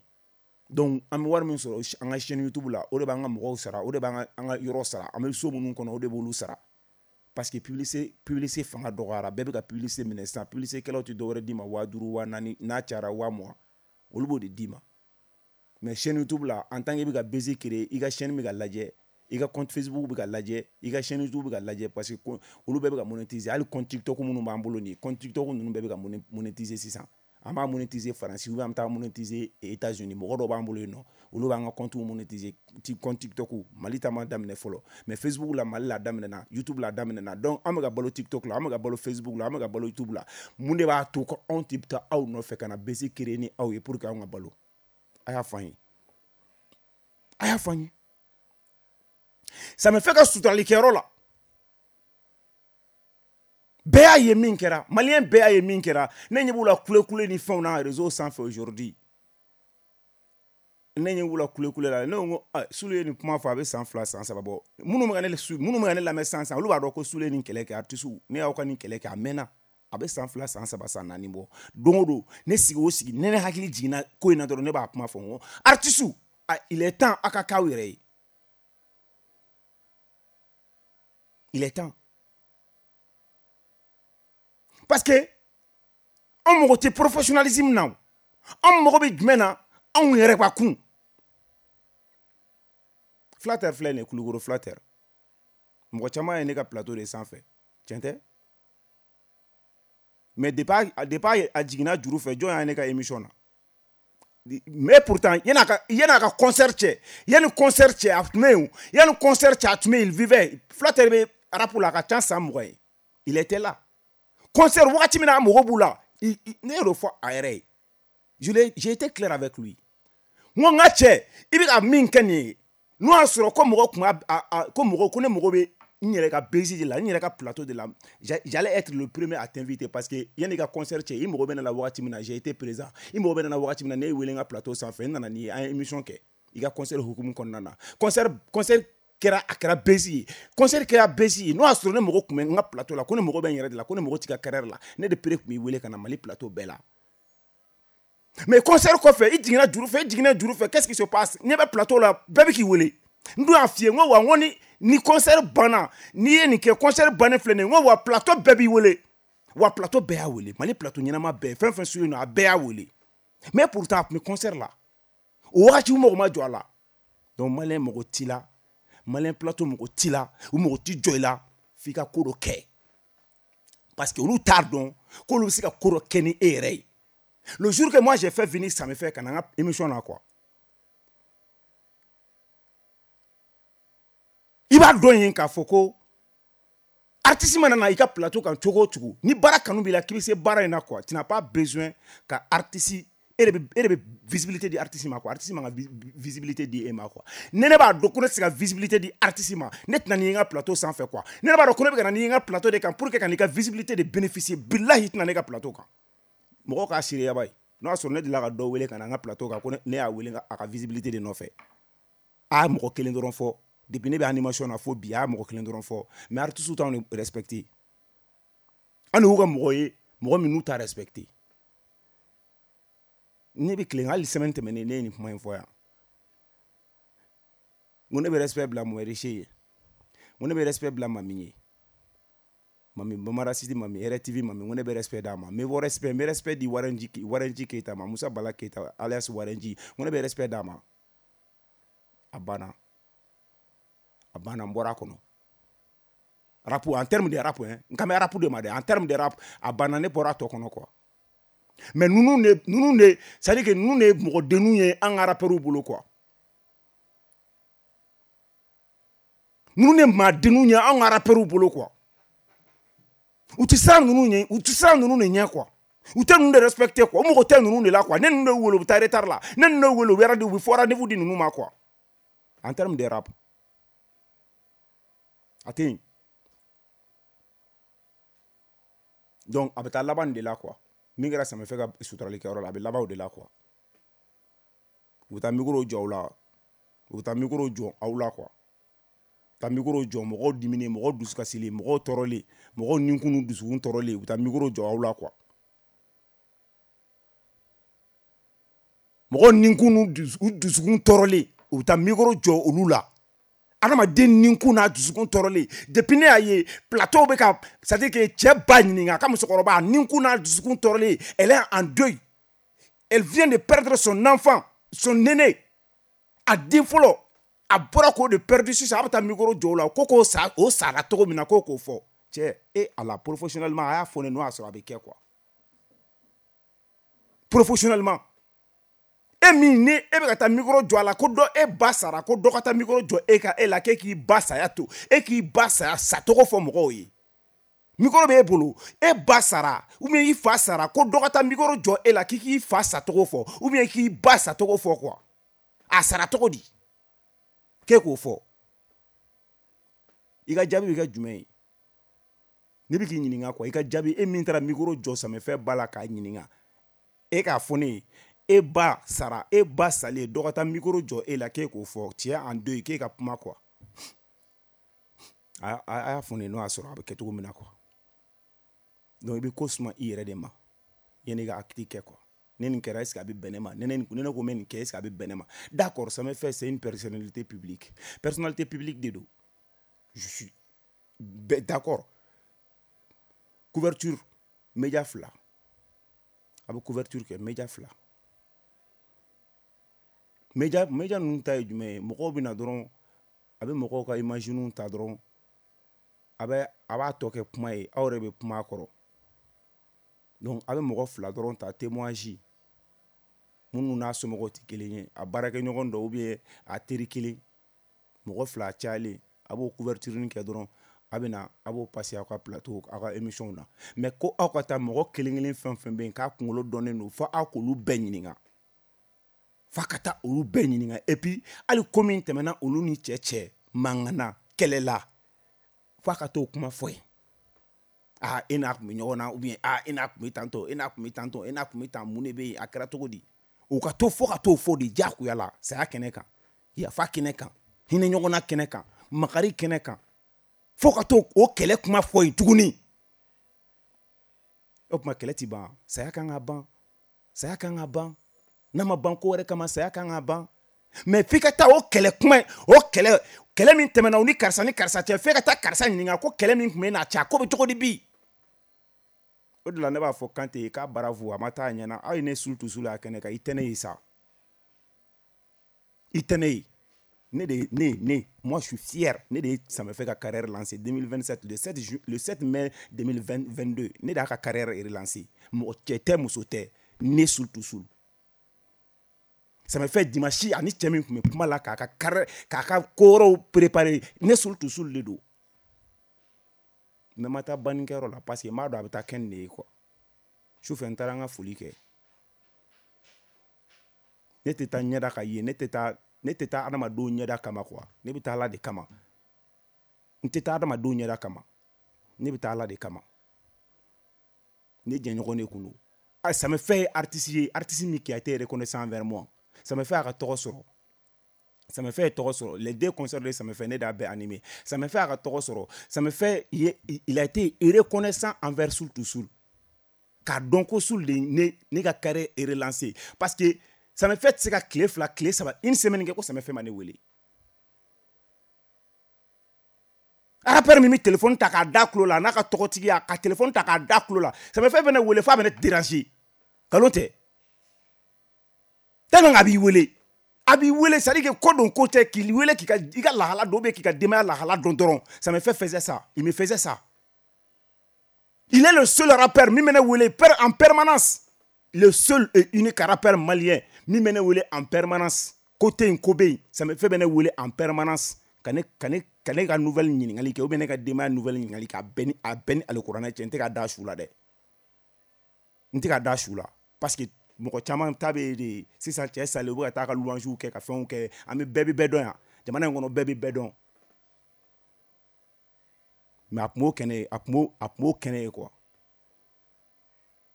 Donc an bɛ wari min sɔrɔ an ka chaîne YouTube la, o de b'an ka mɔgɔw sara, o de b'an ka an ka yɔrɔ sara, an bɛ so minnu kɔnɔ, o de b'olu sara, parce que publicité fanga dɔgɔyara. Bɛɛ bɛ ka publicité minɛ sisan. Publicité kɛlaw tɛ dɔwɛrɛ d'i ma, 5000, 4000, n'a cayara 20,000, olu b'o de d'i ma. Mais chaîne YouTube la, en tant que i bɛ ka buzz créer, i ka chaîne bɛ ka lajɛ, i ka compte Facebook bɛ ka lajɛ, i ka chaîne YouTube bɛ ka lajɛ, parce que olu bɛɛ bɛ ka monétiser. Hali compte TikTok minnu b'an bolo nin ye, compte TikTok ninnu bɛɛ bɛ ka monétiser sisan. An b'a monétiser Faransi ou bien an bɛ taa monétiser États-Unis. Mɔgɔ dɔw b'an bolo yen nɔ, olu b'an ka compte monétiser, compte TikTok. Mali ta ma daminɛ fɔlɔ, mais Facebook la, Mali la daminɛna, YouTube la daminɛna. Donc an bɛ ka balo TikTok la, an bɛ ka balo Facebook la, an bɛ ka balo YouTube la. Mun de b'a to ko anw tɛ taa aw nɔfɛ ka na buzz créer ni aw ye pour que anw ka balo? A y'a fɔ an ye, a y'a fɔ an ye. Samefɛ ka suturalikɛyɔrɔ la, bɛɛ y'a ye min kɛra. Maliyɛn bɛɛ y'a ye min kɛra. Ne ɲɛ b'u la kulekule ni fɛnw na réseau sanfɛ aujourd'hui. Ne ɲɛ b'u la kulekule la. Ne ko ko Sulu ye nin kuma fɔ, a bɛ san 2, san 3 bɔ. Minnu bɛ ka ne lamɛn sisan sisan, olu b'a dɔn ko Sulu ye nin kɛlɛ kɛ. Artiste, ne y'aw ka nin kɛlɛ kɛ, a mɛnna, a bɛ san 2, san 3, san 4 bɔ. Don o don, ne sigi o sigi, ne hakili jiginna ko in na dɔrɔn, ne b'a kuma fɔ. N ko artiste, il est temps aw ka k'aw yɛrɛ ye, il est temps, parce que Anw mago tɛ professionnalisme na o. Anw mago bɛ jumɛn na? Anw yɛrɛ ka kun. Flatter filɛ nin ye, Kulukoro Flatter. Mɔgɔ caman ye ne ka plateau de sanfɛ. Tiɲɛ tɛ? Mais depuis a jiginna juru fɛ, jɔn y'a ne ka émission na? Mais pourtant, yan'a ka concert cɛ, yanni concert cɛ a tun bɛ yen, yanni concert cɛ a tun bɛ yen, il vivait. Flatter bɛ rap la a ka ca san 20 ye. Il était là. Concert wagati min na a mago b'u la, ne y'o fɔ a yɛrɛ ye. J'ai été clair avec lui. N ko n ka cɛ, i bɛ ka min kɛ nin ye, n'o y'a sɔrɔ ko mɔgɔ kun a ko mɔgɔ ko ne mago bɛ n yɛrɛ ka base de la, n yɛrɛ ka plateau de la, j'allais être le premier à t'inviter parce que yanni i ka concert cɛ, i mago bɛ ne la wagati min na, j'ai été présent. I mago bɛ ne la wagati min na, ne ye wele n ka plateau sanfɛ, n nana n'i ye, an ye émission kɛ i ka concert hukumu kɔnɔna na. Concert kɛra, a kɛra base ye. Concert kɛra base ye. N'o y'a sɔrɔ ne mago tun bɛ n ka plateau la, ko ne mago bɛ n yɛrɛ de la, ko ne mago t'i ka carrière la, ne de pere tun b'i wele ka na Mali plateau bɛɛ la. Mais concert kɔfɛ, i jiginna juru fɛ, i jiginna juru fɛ, qu'est-ce qui se passe? Ɲɛ bɛ plateau la, bɛɛ bɛ k'i wele. N dun y'a f'i ye, n ko wa, n ko ni concert banna, n'i ye nin kɛ, concert bannen filɛ nin ye, n ko wa plateau bɛɛ b'i wele. Wa plateau bɛɛ y'a wele, Mali plateau ɲɛnama bɛɛ, fɛn fɛn sulen don, a bɛɛ y'a wele. Mais pourtant, a tun bɛ concert la. O wagati u mago ma jɔ a la. Donc Malien mago t'i la, Malien plateau mago t'i la, u mago t'i jɔ i la, f'i ka ko dɔ kɛ. Parce que olu t'a dɔn k'olu bɛ se ka ko dɔ kɛ ni e yɛrɛ ye. Le jour que moi j'ai fait venir Samefɛ ka na n ka émission na quoi, i b'a dɔn yen k'a fɔ ko artiste mana na i ka plateau kan cogo o cogo, ni baara kanu b'i la k'i bɛ se baara in na quoi, tu n'as pas besoin ka artiste, e de bɛ visibilité di artiste ma quoi, artiste man ka visibilité di e ma quoi. Ne b'a dɔn ko ne tɛ se ka visibilité di artiste ma, ne tɛna n'i ye n ka plateau sanfɛ quoi. Ne b'a dɔn ko ne bɛ ka na n'i ye n ka plateau de kan pour que ka n'i ka visibilité de bénéficier, bilahi tɛna ne ka plateau kan. Mɔgɔw k'a seereya ba ye. N'o y'a sɔrɔ ne delila ka dɔ wele ka na n ka plateau kan ko ne y'a wele a ka visibilité de nɔfɛ. A y'a mɔgɔ kelen dɔrɔn fɔ. Depuis ne bɛ animation na fo bi, a y'a mɔgɔ kelen dɔrɔn fɔ. Mais artistes t'anw de respecter. An de y'u ka mɔgɔ ye, mɔgɔ minnu t'a respecter. Ne bɛ tilen, hali semaine tɛmɛnen ne ye nin kuma in fɔ yan. N ko ne bɛ respect bila Moɛriche ye. N ko ne bɛ respect bila Mami ye. Mami Bamara City, Mami RTV, Mami, n ko ne bɛ respect d'a ma. N bɛ respect, n bɛ respect di Warɛnji Keyita ma, Musa Bala Keyita alias Warɛnji. N ko ne bɛ respect d'a ma. A banna. A banna, n bɔra a kɔnɔ. Rap, en termes de rap, hein, n kan bɛ rap de ma dɛ, en termes de rap, a banna, ne bɔra a tɔ kɔnɔ quoi. Mais ninnu de, c'est à dire que ninnu de ye mɔgɔdenninw ye an ka rappeurs bolo quoi. Ninnu de ye maadenninw ye an ka rappeurs bolo quoi. U tɛ siran ninnu ɲɛ, u tɛ siran ninnu de ɲɛ quoi. U tɛ ninnu de respecter quoi. U mago tɛ ninnu de la quoi. Ne ninnu de wele, u bɛ taa retard la. Ne ninnu de wele, u bɛ rendez-vous, u bɛ fɔ rendez-vous di ninnu ma quoi. En termes de rap, a tɛ yen. Donc a bɛ taa laban de la quoi. Min kɛra Samefɛ ka suturalikɛyɔrɔ la, a bɛ laban o de la quoi. U bɛ taa micro jɔ aw la, u bɛ taa micro jɔ aw la quoi. Taa micro jɔ mɔgɔw diminen, mɔgɔw dusukasilen, mɔgɔw tɔɔrɔlen, mɔgɔw ninkun dusukun tɔɔrɔlen, u bɛ taa micro jɔ aw la quoi. Mɔgɔw ninkun u dusukun tɔɔrɔlen, u bɛ taa micro jɔ olu la. Adamaden ninkun n'a dusukun tɔɔrɔlen, depuis ne y'a ye plateau bɛ ka, c'est à dire que cɛ ba ɲininka a ka musokɔrɔba ninkun n'a dusukun tɔɔrɔlen, elle est en deuil, elle vient de perdre son enfant, son aîné, a den fɔlɔ, a bɔra k'o de perdu sisan, a bɛ taa micro jɔ o la, ko k'o sa, o sara cogo min na, ko k'o fɔ. Cɛ, e ala, professionnellement, a y'a fɔ ne n'o y'a sɔrɔ a bɛ kɛ quoi. Professionnellement, e min ni e bɛ ka taa micro jɔ a la, ko dɔ e ba sara, ko dɔ ka taa micro jɔ e ka e la, k'e k'i ba saya to, e k'i ba saya sacogo fɔ mɔgɔw ye. Micro bɛ e bolo, e ba sara ou bien i fa sara, ko dɔ ka taa micro jɔ e la k'i k'i fa sacogo fɔ ou bien k'i ba sacogo fɔ quoi. A sara cogo di? K'e k'o fɔ. I ka jaabi bɛ kɛ jumɛn ye? Ne bɛ k'i ɲininka quoi, i ka jaabi, e min taara micro jɔ Samefɛ ba la k'a ɲininka, e k'a fɔ ne ye, e ba sara, e ba salen, dɔ ka taa micro jɔ e la k'e k'o fɔ, tiɲɛ en deuil, k'e ka kuma quoi. A y'a fɔ ne ye n'o y'a sɔrɔ a bɛ kɛ cogo min na quoi. Donc i bɛ ko suma i yɛrɛ de ma yanni i ka acte kɛ quoi. Ne nin kɛra, est-ce que a bɛ bɛn ne ma? Ne ko n bɛ nin kɛ, est-ce que a bɛ bɛn ne ma? D'accord, Samefɛ c'est une personnalité publique. Personnalité publique de don. Je suis d'accord. Couverture média fila. A bɛ couverture kɛ média fila. Média ninnu ta ye jumɛn ye? Mɔgɔw bɛ na dɔrɔn, a bɛ mɔgɔw ka image ta dɔrɔn, a b'a tɔ kɛ kuma ye, aw yɛrɛ bɛ kuma a kɔrɔ. Donc a bɛ mɔgɔ fila dɔrɔn ta témoignage, minnu n'a somɔgɔw tɛ kelen ye, a baarakɛɲɔgɔn dɔ ou bien a teri kelen, mɔgɔ fila cayalen, a b'o couverture kɛ dɔrɔn, a bɛ na a b'o passer aw ka plateau, aw ka émission na. Mais ko aw ka taa mɔgɔ kelen kelen fɛn fɛn bɛ yen k'a kunkolo dɔnnen don, fo aw k'olu bɛɛ ɲininka, f'a ka taa olu bɛɛ ɲininka. Et puis hali ko min tɛmɛna olu ni cɛ mankan na, kɛlɛ la, f'a ka t'o kuma fɔ yen. Ah, e n'a tun bɛ ɲɔgɔn na, ou bien ah, e n'a tun bɛ tantɔ, e n'a tun bɛ tantɔ, e n'a tun bɛ tan, mun de bɛ yen, a kɛra cogo di? U ka to fo ka t'o fɔ de diyagoya la, saya kɛnɛ kan, yafa kɛnɛ kan, hinɛ ɲɔgɔnna kɛnɛ kan, makari kɛnɛ kan, fo ka t'o o kɛlɛ kuma fɔ yen tuguni. O tuma kɛlɛ ti ban, saya kan ka ban, saya kan ka ban, n'a ma ban ko wɛrɛ kama, saya kan ka ban. Mais f'i ka taa o kɛlɛ kuma, o kɛlɛ, kɛlɛ min tɛmɛna o ni karisa ni karisa cɛ, f'e ka taa karisa ɲininka ko kɛlɛ min tun bɛ n'a cɛ, a ko bɛ cogo di bi? O de la ne b'a fɔ Kante ye k'a bravo, a ma taa a ɲɛna. Aw ye ne Soul to Soul a kɛnɛ kan, i tɛ ne ye sa, i tɛ ne ye. Ne de, ne, ne, moi je suis fier. Ne de ye Samefɛ ka carrière lancée 2027, le 7 ju, le 7 mai 2022, ne de y'a ka carrière relancée. Mɔgɔ cɛ tɛ, muso tɛ, ne Soul to Soul. Samefɛ dimanche ani cɛ min tun bɛ kuma la k'a ka carrière, k'a ka ko wɛrɛw préparer, ne Soul to Soul de don. Mais ma taa bannikɛyɔrɔ la parce que n b'a dɔn a bɛ taa kɛ nin de ye quoi. Sufɛ n taara n ka foli kɛ. Ne tɛ taa ɲɛda ka ye, ne tɛ taa, ne tɛ taa adamadenw ɲɛda kama quoi. Ne bɛ taa Ala de kama. N tɛ taa adamadenw ɲɛda kama. Ne bɛ taa Ala de kama. Ne jɛɲɔgɔn de kun don. Ah, Samefɛ ye artiste ye, artiste min qui a été reconnaissant envers moi. Samefɛ y'a ka tɔgɔ sɔrɔ. Samefɛ ye tɔgɔ sɔrɔ. Les deux concerts de Samefɛ, ne de y'a bɛɛ animé. Samefɛ y'a ka tɔgɔ sɔrɔ. Samefɛ, il a été reconnaissant envers Soul to Soul. K'a dɔn ko Soul de ne ka carrière est relancée. Parce que Samefɛ tɛ se ka tile fila, tile saba, une semaine kɛ ko Samefɛ ma ne wele. Rappeur min bɛ téléphone ta k'a da tulo la, a n'a ka tɔgɔtigiya, ka téléphone ta k'a da tulo la. Samefɛ bɛ ne wele f'a bɛ ne déranger. Nkalon tɛ. Tellement a b'i wele. A b'i wele, c'est à dire que ko don ko tɛ, k'i wele k'i ka, i ka lahala dɔn, ou bien k'i ka denbaya lahala dɔn dɔrɔn. Samefɛ faisait ça. Il me faisait ça. Il est le seul rappeur min bɛ ne wele en permanence. Le seul et unique rappeur malien min bɛ ne wele en permanence. Ko tɛ yen, ko bɛ yen. Samefɛ bɛ ne wele en permanence. Ka ne, ka ne, ka ne ka nouvelle ɲininkali kɛ, ou bien ne ka denbaya nouvelle ɲininkali kɛ, a bɛɛ ni alikuranɛ cɛ, n tɛ ka da su la dɛ. N tɛ ka da su la. Parce que mɔgɔ caman ta bɛ de sisan, cɛ salen, u bɛ ka taa ka louange kɛ, ka fɛnw kɛ. An bɛ bɛɛ bɛ bɛɛ dɔn yan. Jamana in kɔnɔ bɛɛ bɛ bɛɛ dɔn. Mais a tun b'o kɛnɛ ye, a tun b'o kɛnɛ ye quoi.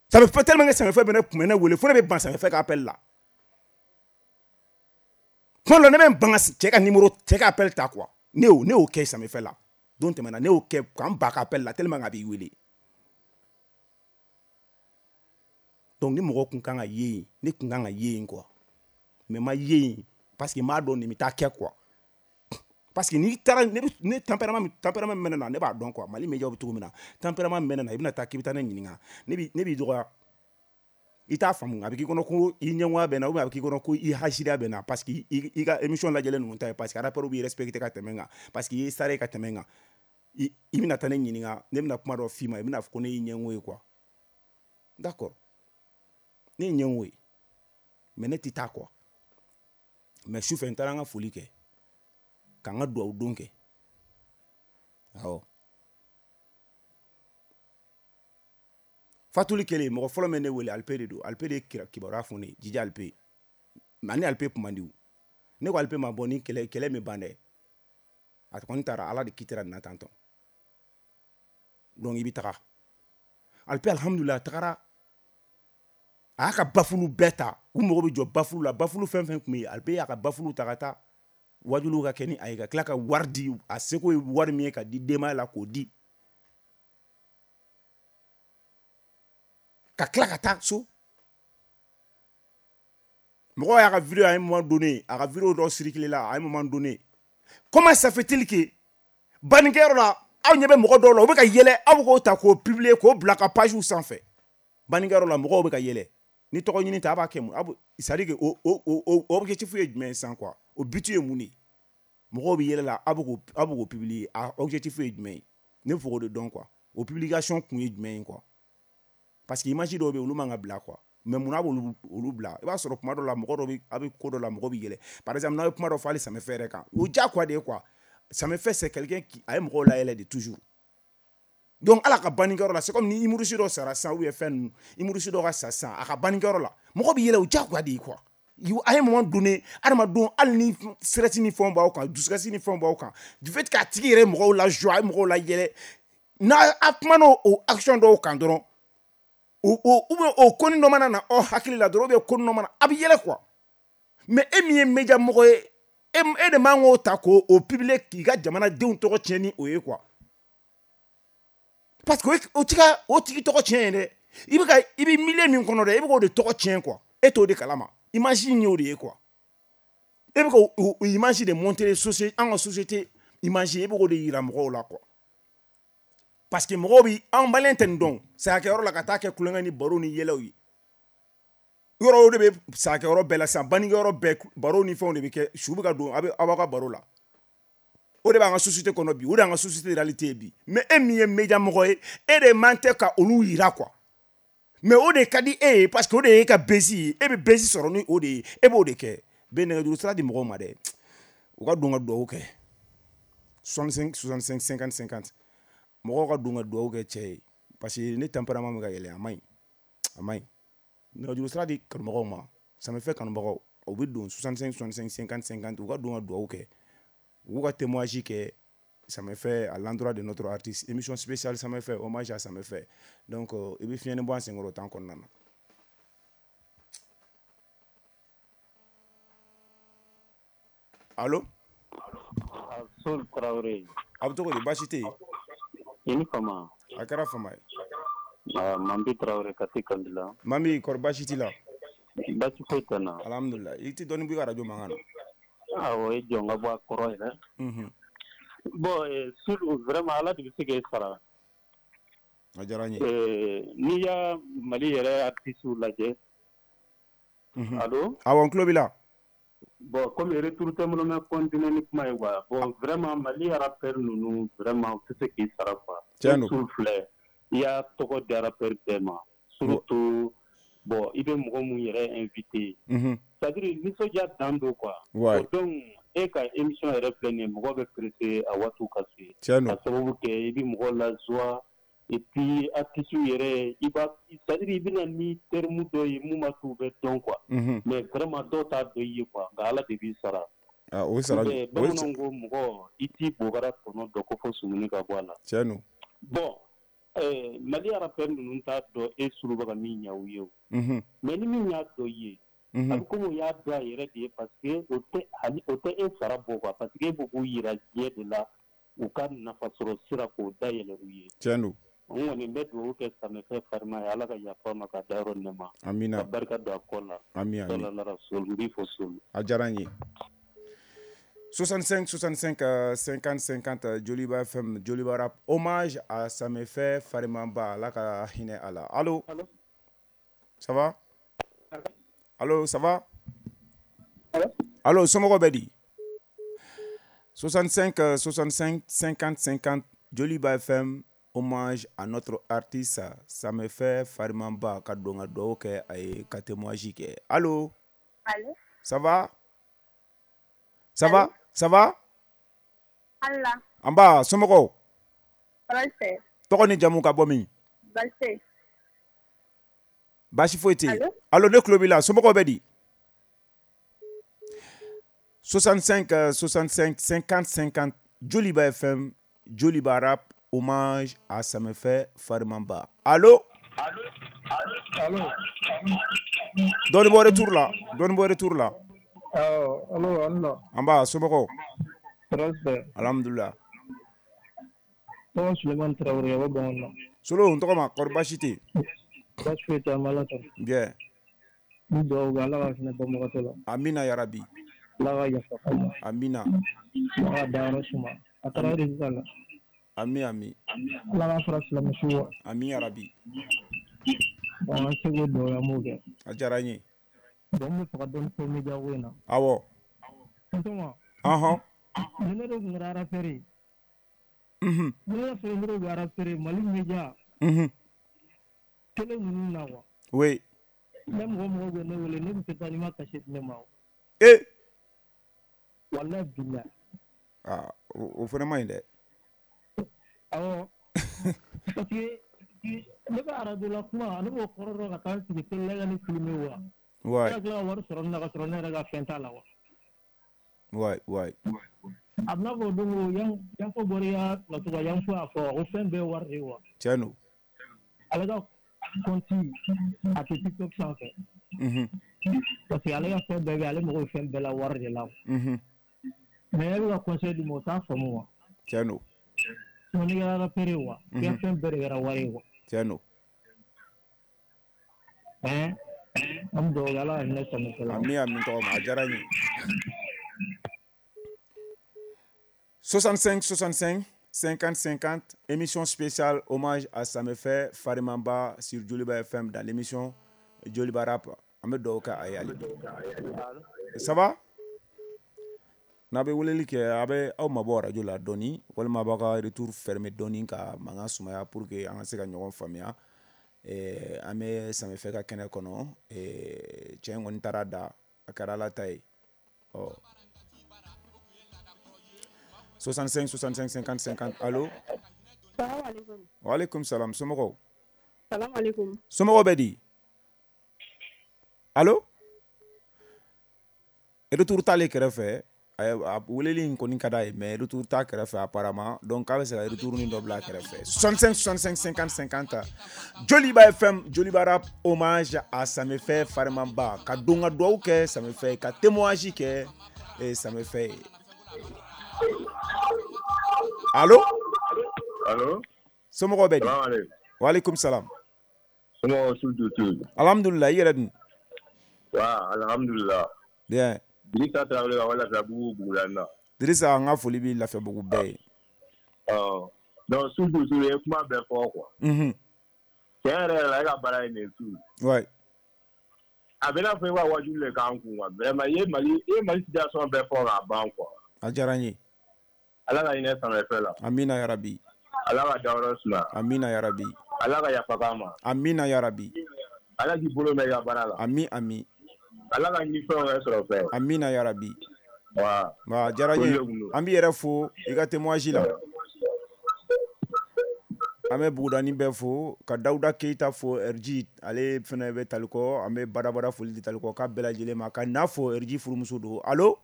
Ça me fait tellement que Samefɛ bɛ ne kun bɛ ne wele, fo ne bɛ ban Samefɛ ka appel la. Kuma dɔ la, ne bɛ n ban ka cɛ ka numéro, cɛ ka appel ta quoi. Ne y'o kɛ Samefɛ la. Don tɛmɛna, ne y'o kɛ k'an ban ka appel la tellement a b'i wele. Donc ni mɔgɔ kun kan ka ye yen, ne kun kan ka ye yen quoi. Mais ma ye yen parce que n b'a dɔn nin bɛ taa kɛ quoi. Parce que n'i taara, ne bɛ, ne tempérament, tempérament min bɛ ne na, ne b'a dɔn quoi. Mali média bɛ cogo min na, tempérament min bɛ ne na, i bɛna taa k'i bɛ taa ne ɲininka. Ne b'i dɔgɔya. I t'a faamu, a bɛ k'i kɔnɔ ko i ɲɛngoya bɛ n na, ou bien a bɛ k'i kɔnɔ ko i hasidiya bɛ n na, parce que i ka émission lajɛlen ninnu ta ye, parce que rappeur b'i respecter ka tɛmɛ n kan, parce que i ye star ye ka tɛmɛ n kan. I bɛna taa ne ɲininka, ne bɛna kuma dɔ f'i ma, i bɛna fɔ ko ne y'i ɲɛngo ye quoi. D'accord. Ne ye ɲɛngo ye. Mais ne tɛ taa quoi. Mais sufɛ n taara n ka foli kɛ. Ka n ka duwawu don kɛ. Awɔ. Fatuli kɛlen, mɔgɔ fɔlɔ min ne wele, Alpe de don. Alpe de ye kibaruya fɔ ne ye, Jija Alpe. Mais ani Alpe kun man di o. Ne ko Alpe ma bɔ ni kɛlɛ min ban dɛ. A kɔni taara, Ala de kitira nin na tantɔ. Donc i bɛ taga. Alpe alhamdulillah, a tagara. A y'a ka bafulu bɛɛ ta. U mago bɛ jɔ bafulu la. Bafulu fɛn fɛn tun bɛ yen, Alpe y'a ka bafulu ta ka taa. Wajuliw ka kɛ ni a ye, ka tila ka wari di, a seko ye wari min ye ka di denbaya la k'o di. Ka tila ka taa so. Mɔgɔw y'a ka vidéo à un moment donné, a ka vidéo dɔ circulé la à un moment donné. Comment ça fait-il que bannikɛyɔrɔ la, aw ɲɛ bɛ mɔgɔ dɔw la, u bɛ ka yɛlɛ, aw bɛ k'o ta k'o publier, k'o bila ka page sanfɛ. Bannikɛyɔrɔ la, mɔgɔw bɛ ka yɛlɛ. Ni tɔgɔ ɲini tɛ, a b'a kɛ mun? A bɛ, c'est à dire que o objectif ye jumɛn ye sisan quoi? O but ye mun de ye? Mɔgɔw bɛ yɛlɛ la, a bɛ k'o publier, a objectif ye jumɛn ye? Ne bɛ fɛ k'o de dɔn quoi. O publication kun ye jumɛn ye quoi? Parce que image dɔw bɛ yen, olu man ka bila quoi. Mais mun na a b'olu bila? I b'a sɔrɔ kuma dɔ la, mɔgɔ dɔ bɛ, a bɛ ko dɔ la, mɔgɔ bɛ yɛlɛ. Par exemple, n'aw ye kuma dɔ fɔ hali Samefɛ yɛrɛ kan, o diyagoya de ye quoi. Samefɛ, c'est quelqu'un qui a ye mɔgɔw layɛlɛ de toujours. Donc ala ka bannikɛyɔrɔ la, c'est comme ni humoriste dɔ sara sisan ou bien fɛn ninnu, humoriste dɔ ka sa sisan a ka bannikɛyɔrɔ la, mɔgɔ bɛ yɛlɛ, o diyagoya de ye quoi. A ye moment donné, adamadenw hali ni stress ni fɛnw b'aw kan, dusukasi ni fɛnw b'aw kan, du fait k'a tigi yɛrɛ mɔgɔw la joie, a ye mɔgɔw la yɛlɛ, n'a a kumana o action dɔw kan dɔrɔn, o ou bien o koni dɔ mana na aw hakili la dɔrɔn, ou bien koni dɔ mana, a bɛ yɛlɛ quoi. Mais e min ye média mɔgɔ ye, e de man k'o ta k'o publier k'i ka jamanadenw tɔgɔ tiɲɛ ni o ye quoi. Parce que o tigi tɔgɔ tiɲɛ ye dɛ. I bɛ milieu min kɔnɔ dɛ, i bɛ k'o de tɔgɔ tiɲɛ quoi. E t'o de kalama. Image in y'o de ye quoi. E bɛ k'o image de montrer an ka société image, e bɛ k'o de yira mɔgɔw la quoi. Parce que mɔgɔw bi an malien tɛ nin dɔn. Sayakɛyɔrɔ la ka taa kɛ kulonkɛ ni baro ni yɛlɛw ye. Yɔrɔ o de bɛ sayakɛyɔrɔ bɛɛ la sisan, bannikɛyɔrɔ bɛɛ baro ni fɛnw de bɛ kɛ, su bɛ ka don aw b'aw ka baro la. O de b'an ka société kɔnɔ bi, o de y'an ka société réalité ye bi. Mais e min ye média mɔgɔ ye, e de man tɛ ka olu yira quoi. Mais o de ka di e ye parce que o de y'e ka base ye, e bɛ base sɔrɔ ni o de ye, e b'o de kɛ. Bɛ nɛgɛjuru sira di mɔgɔw ma dɛ, u ka don ka dugawu kɛ. 65 65 50 50. Mɔgɔw ka don ka dugawu kɛ cɛ ye parce que ne tempérament bɛ ka yɛlɛ, a man ɲi, a man ɲi. Nɛgɛjuru sira di kanubagaw ma, Samefɛ kanubagaw, u bɛ don 65 65 50 50, u ka don ka dugawu kɛ. U ka témoignage kɛ Samefɛ à l'endroit de notre artiste, émission spéciale Samefɛ, hommage à Samefɛ. Donc i bɛ fiɲɛni bɔ an senkɔrɔ temps kɔnɔna na. Allo? Sol Traoré. A bɛ cogo di, baasi tɛ yen? I ni fama. A kɛra fama ye. Mambi Traoré Kati Kandila. Mambi, kɔri baasi t'i la? Baasi foyi tɛ n na. Alhamdulillah. I tɛ dɔɔnin bɔ i ka radio mankan na? Awɔ, i jɔ n ka bɔ a kɔrɔ yɛrɛ. Bon, Sulu, vraiment Ala de bɛ se k'e sara. A diyara n ye. N'i y'a Mali yɛrɛ artistes lajɛ. Allo? Awɔ, n tulo b'i la. Bon, comme retour tɛ n bolo, n bɛ continuer ni kuma ye quoi. Bon, vraiment Mali rappeur ninnu vraiment u tɛ se k'i sara quoi. Tiɲɛ don. Sulu filɛ, i y'a tɔgɔ di rappeur bɛɛ ma. Surtout, bon, i bɛ mɔgɔ mun yɛrɛ invité. C'est-à-dire nisɔndiya dan don quoi. Ouais. Donc e ka émission yɛrɛ filɛ nin ye, mɔgɔ bɛ pressé a waatiw ka se. Tiɲɛ don. Ka sababu kɛ i bɛ mɔgɔ la joie et puis artiste yɛrɛ i b'a, c'est-à-dire i bɛna ni terme dɔ ye mun b'a to u bɛ dɔn quoi. Mais vraiment dɔw t'a dɔn i ye quoi, nka Ala de b'i sara. Ah, o sara. Bamananw ko mɔgɔ i t'i bobara tɔnɔ dɔn ko fo sumuni ka bɔ a la. Tiɲɛ don. Bon, Mali rappeur ninnu t'a dɔn e Sulu bɛ ka min ɲɛ u ye o. Mais ni min y'a dɔn i ye, a bɛ komi o y'a dɔn a yɛrɛ de ye parce que o tɛ e sara bɔ quoi, parce que e b'o k'u yira diɲɛ de la, u ka nafasɔrɔ sira k'o dayɛlɛ u ye. Tiɲɛ don. N kɔni bɛ dugawu kɛ Samefɛ Farima ye, Ala ka yafa ma ka dayɔrɔ nɛma. Amina. Ka barika don a kɔ la. Ami, ami. N b'i fo Sulu. A diyara n ye. 65 65 50 50, Joliba FM, Joliba Rap, hommage à Samefɛ Farimaba, Ala ka hinɛ a la. Allo? Allo? Ça va? Allo, ça va? Allo? Allo, somɔgɔw bɛ di? 65 65 50 50, Joliba FM, hommage à notre artiste Samefɛ Farimaba, ka don ka dugawu kɛ a ye, ka témoignage kɛ. Allo? Allo? Ça va? Ça va? Ça va? Allah. An ba, somɔgɔw? Baasi tɛ. Tɔgɔ ni jamu ka bɔ min? Baasi tɛ. Baasi foyi tɛ yen. Allo, ne tulo b'i la, somɔgɔw bɛ di? 65 65 50 50, Joliba FM, Joliba Rap, hommage à Samefɛ Farimaba. Allo? Allo? Dɔɔnin bɔ retour la, dɔɔnin bɔ retour la. Allo, allo. An ba, somɔgɔw? Tɔɔrɔ tɛ. Alhamdulillah. Tɔgɔ Sulemani Traoré, ka bɔ Bamakɔ. Solo, n tɔgɔ ma, kɔri baasi tɛ yen? Baasi foyi tɛ, an bɛ Ala tanu. Bien. N bɛ dugawu kɛ Ala ka hinɛ banbagatɔ la. Amina yarabi. Ala ka yafa k'a ma. Amina. Ala ka dayɔrɔ suma. A taara o de sisan la. Ami, ami. Ala ka fara silamɛ su kan. Ami yarabi. Bon, an seko dugawu an b'o kɛ. A diyara n ye. Bon, n bɛ fɛ ka dɔɔni fɔ média ko in na. Awɔ. Tonton. Ɔhɔn. Ni ne de tun kɛra rappeur ye. Ni ne y'a sɔrɔ ne de tun rappeur ye Mali média. Télé ninnu na quoi. Oui. Ne mɔgɔ bɛ ne wele, ne tun tɛ taa n'i ma cachet di ne ma. Eh. Walahi bilahi. Ah, o fana man ɲi dɛ. Awɔ. Parce que ne bɛ arajo la kuma, ne b'o kɔrɔ dɔn ka taa n sigi télé la ka ne filmer wa. Ouais. Ne ka tila ka wari sɔrɔ ne na ka sɔrɔ ne yɛrɛ ka fɛn t'a la wa. Ouais, ouais. A bɛna fɔ o don ko Yanfo bɔra i ka plateau kan, Yanfo y'a fɔ ko fɛn bɛɛ ye wari de ye wa. Tiɲɛ don. Ale ka compte a tɛ TikTok sanfɛ. Parce que ale ka fɛn bɛɛ bɛ yen, ale mago bɛ fɛn bɛɛ la wari de la. Mais e bɛ ka conseil di ma, o t'a faamu wa. Tiɲɛ don. Sinon n'i kɛra rappeur ye wa, i ka fɛn bɛɛ de kɛra wari ye wa. Tiɲɛ don. Ɛn, an bɛ dugawu kɛ Ala ka hinɛ Samɛfɛ la. Ami ami tɔgɔ ma, a diyara n ye. 65 65 50 50, émission spéciale hommage à Samefɛ Farimamba sur Joliba FM dans l'émission Joliba Rap. An bɛ dugawu kɛ a ye hali bi. Ça va? N'a bɛ weleli kɛ, a bɛ aw mabɔ radio la dɔɔni, walima a b'aw ka retour fermer dɔɔni ka mankan sumaya pour que an ka se ka ɲɔgɔn faamuya. An bɛ Samefɛ ka kɛnɛ kɔnɔ. Cɛ in kɔni taara da, a kɛra Ala ta ye. Ɔ 65 65 50 50. Allo. Salam alaikum. Wa alaikum salam. Somɔgɔw? Salam alaikum. Somɔgɔw bɛ di? Allo. Retour t'ale kɛrɛfɛ. A weleli in kɔni ka d'a ye, mais retour t'a kɛrɛfɛ apparemment. Donc k'a bɛ se ka retour ni dɔ bila a kɛrɛfɛ. 65 65 50 50. Joliba FM, Joliba Rap, hommage à Samefɛ Farimamba. Ka don ka dugawu kɛ Samefɛ ye, ka témoignage kɛ Samefɛ ye. Allo? Allo? Somɔgɔw bɛ di? Salam alaikum. Wa alaikum salam. Somɔgɔw su tu. Alhamdulillah, i yɛrɛ dun? Wa alhamdulillah. Bien. Dirisa Tarawele ka bɔ Lafiyabugu Bugulani na. Dirisa, an ka foli b'i Lafiyabugu bɛɛ ye. Ɔ donc su tu ye kuma bɛɛ fɔ quoi. Tiɲɛ yɛrɛ yɛrɛ la, e ka baara ye nin ye su. Ouais. A bɛ n'a fɔ e ka wajuli de k'an kun quoi. Vraiment i ye Mali situation bɛɛ fɔ k'a ban quoi. A diyara n ye. Ala ka hinɛ Samefɛ la. Amina yarabi. Ala ka dayɔrɔ suma. Amina yarabi. Ala ka yafa k'a ma. Amina yarabi. Ala k'i bolo mɛn i ka baara la. Ami ami. Ala ka ɲini fɛnw kɛ sɔrɔ fɛn. Amina yarabi. Wa. Wa diyara n ye. An b'i yɛrɛ fo i ka témoignage la. An bɛ Bugudani bɛɛ fo, ka Dawuda Keyita fo RG, ale fana bɛ Talikɔ, an bɛ badabada foli di Talikɔ k'a bɛɛ lajɛlen ma, ka n'a fo RG furumuso don. Allo.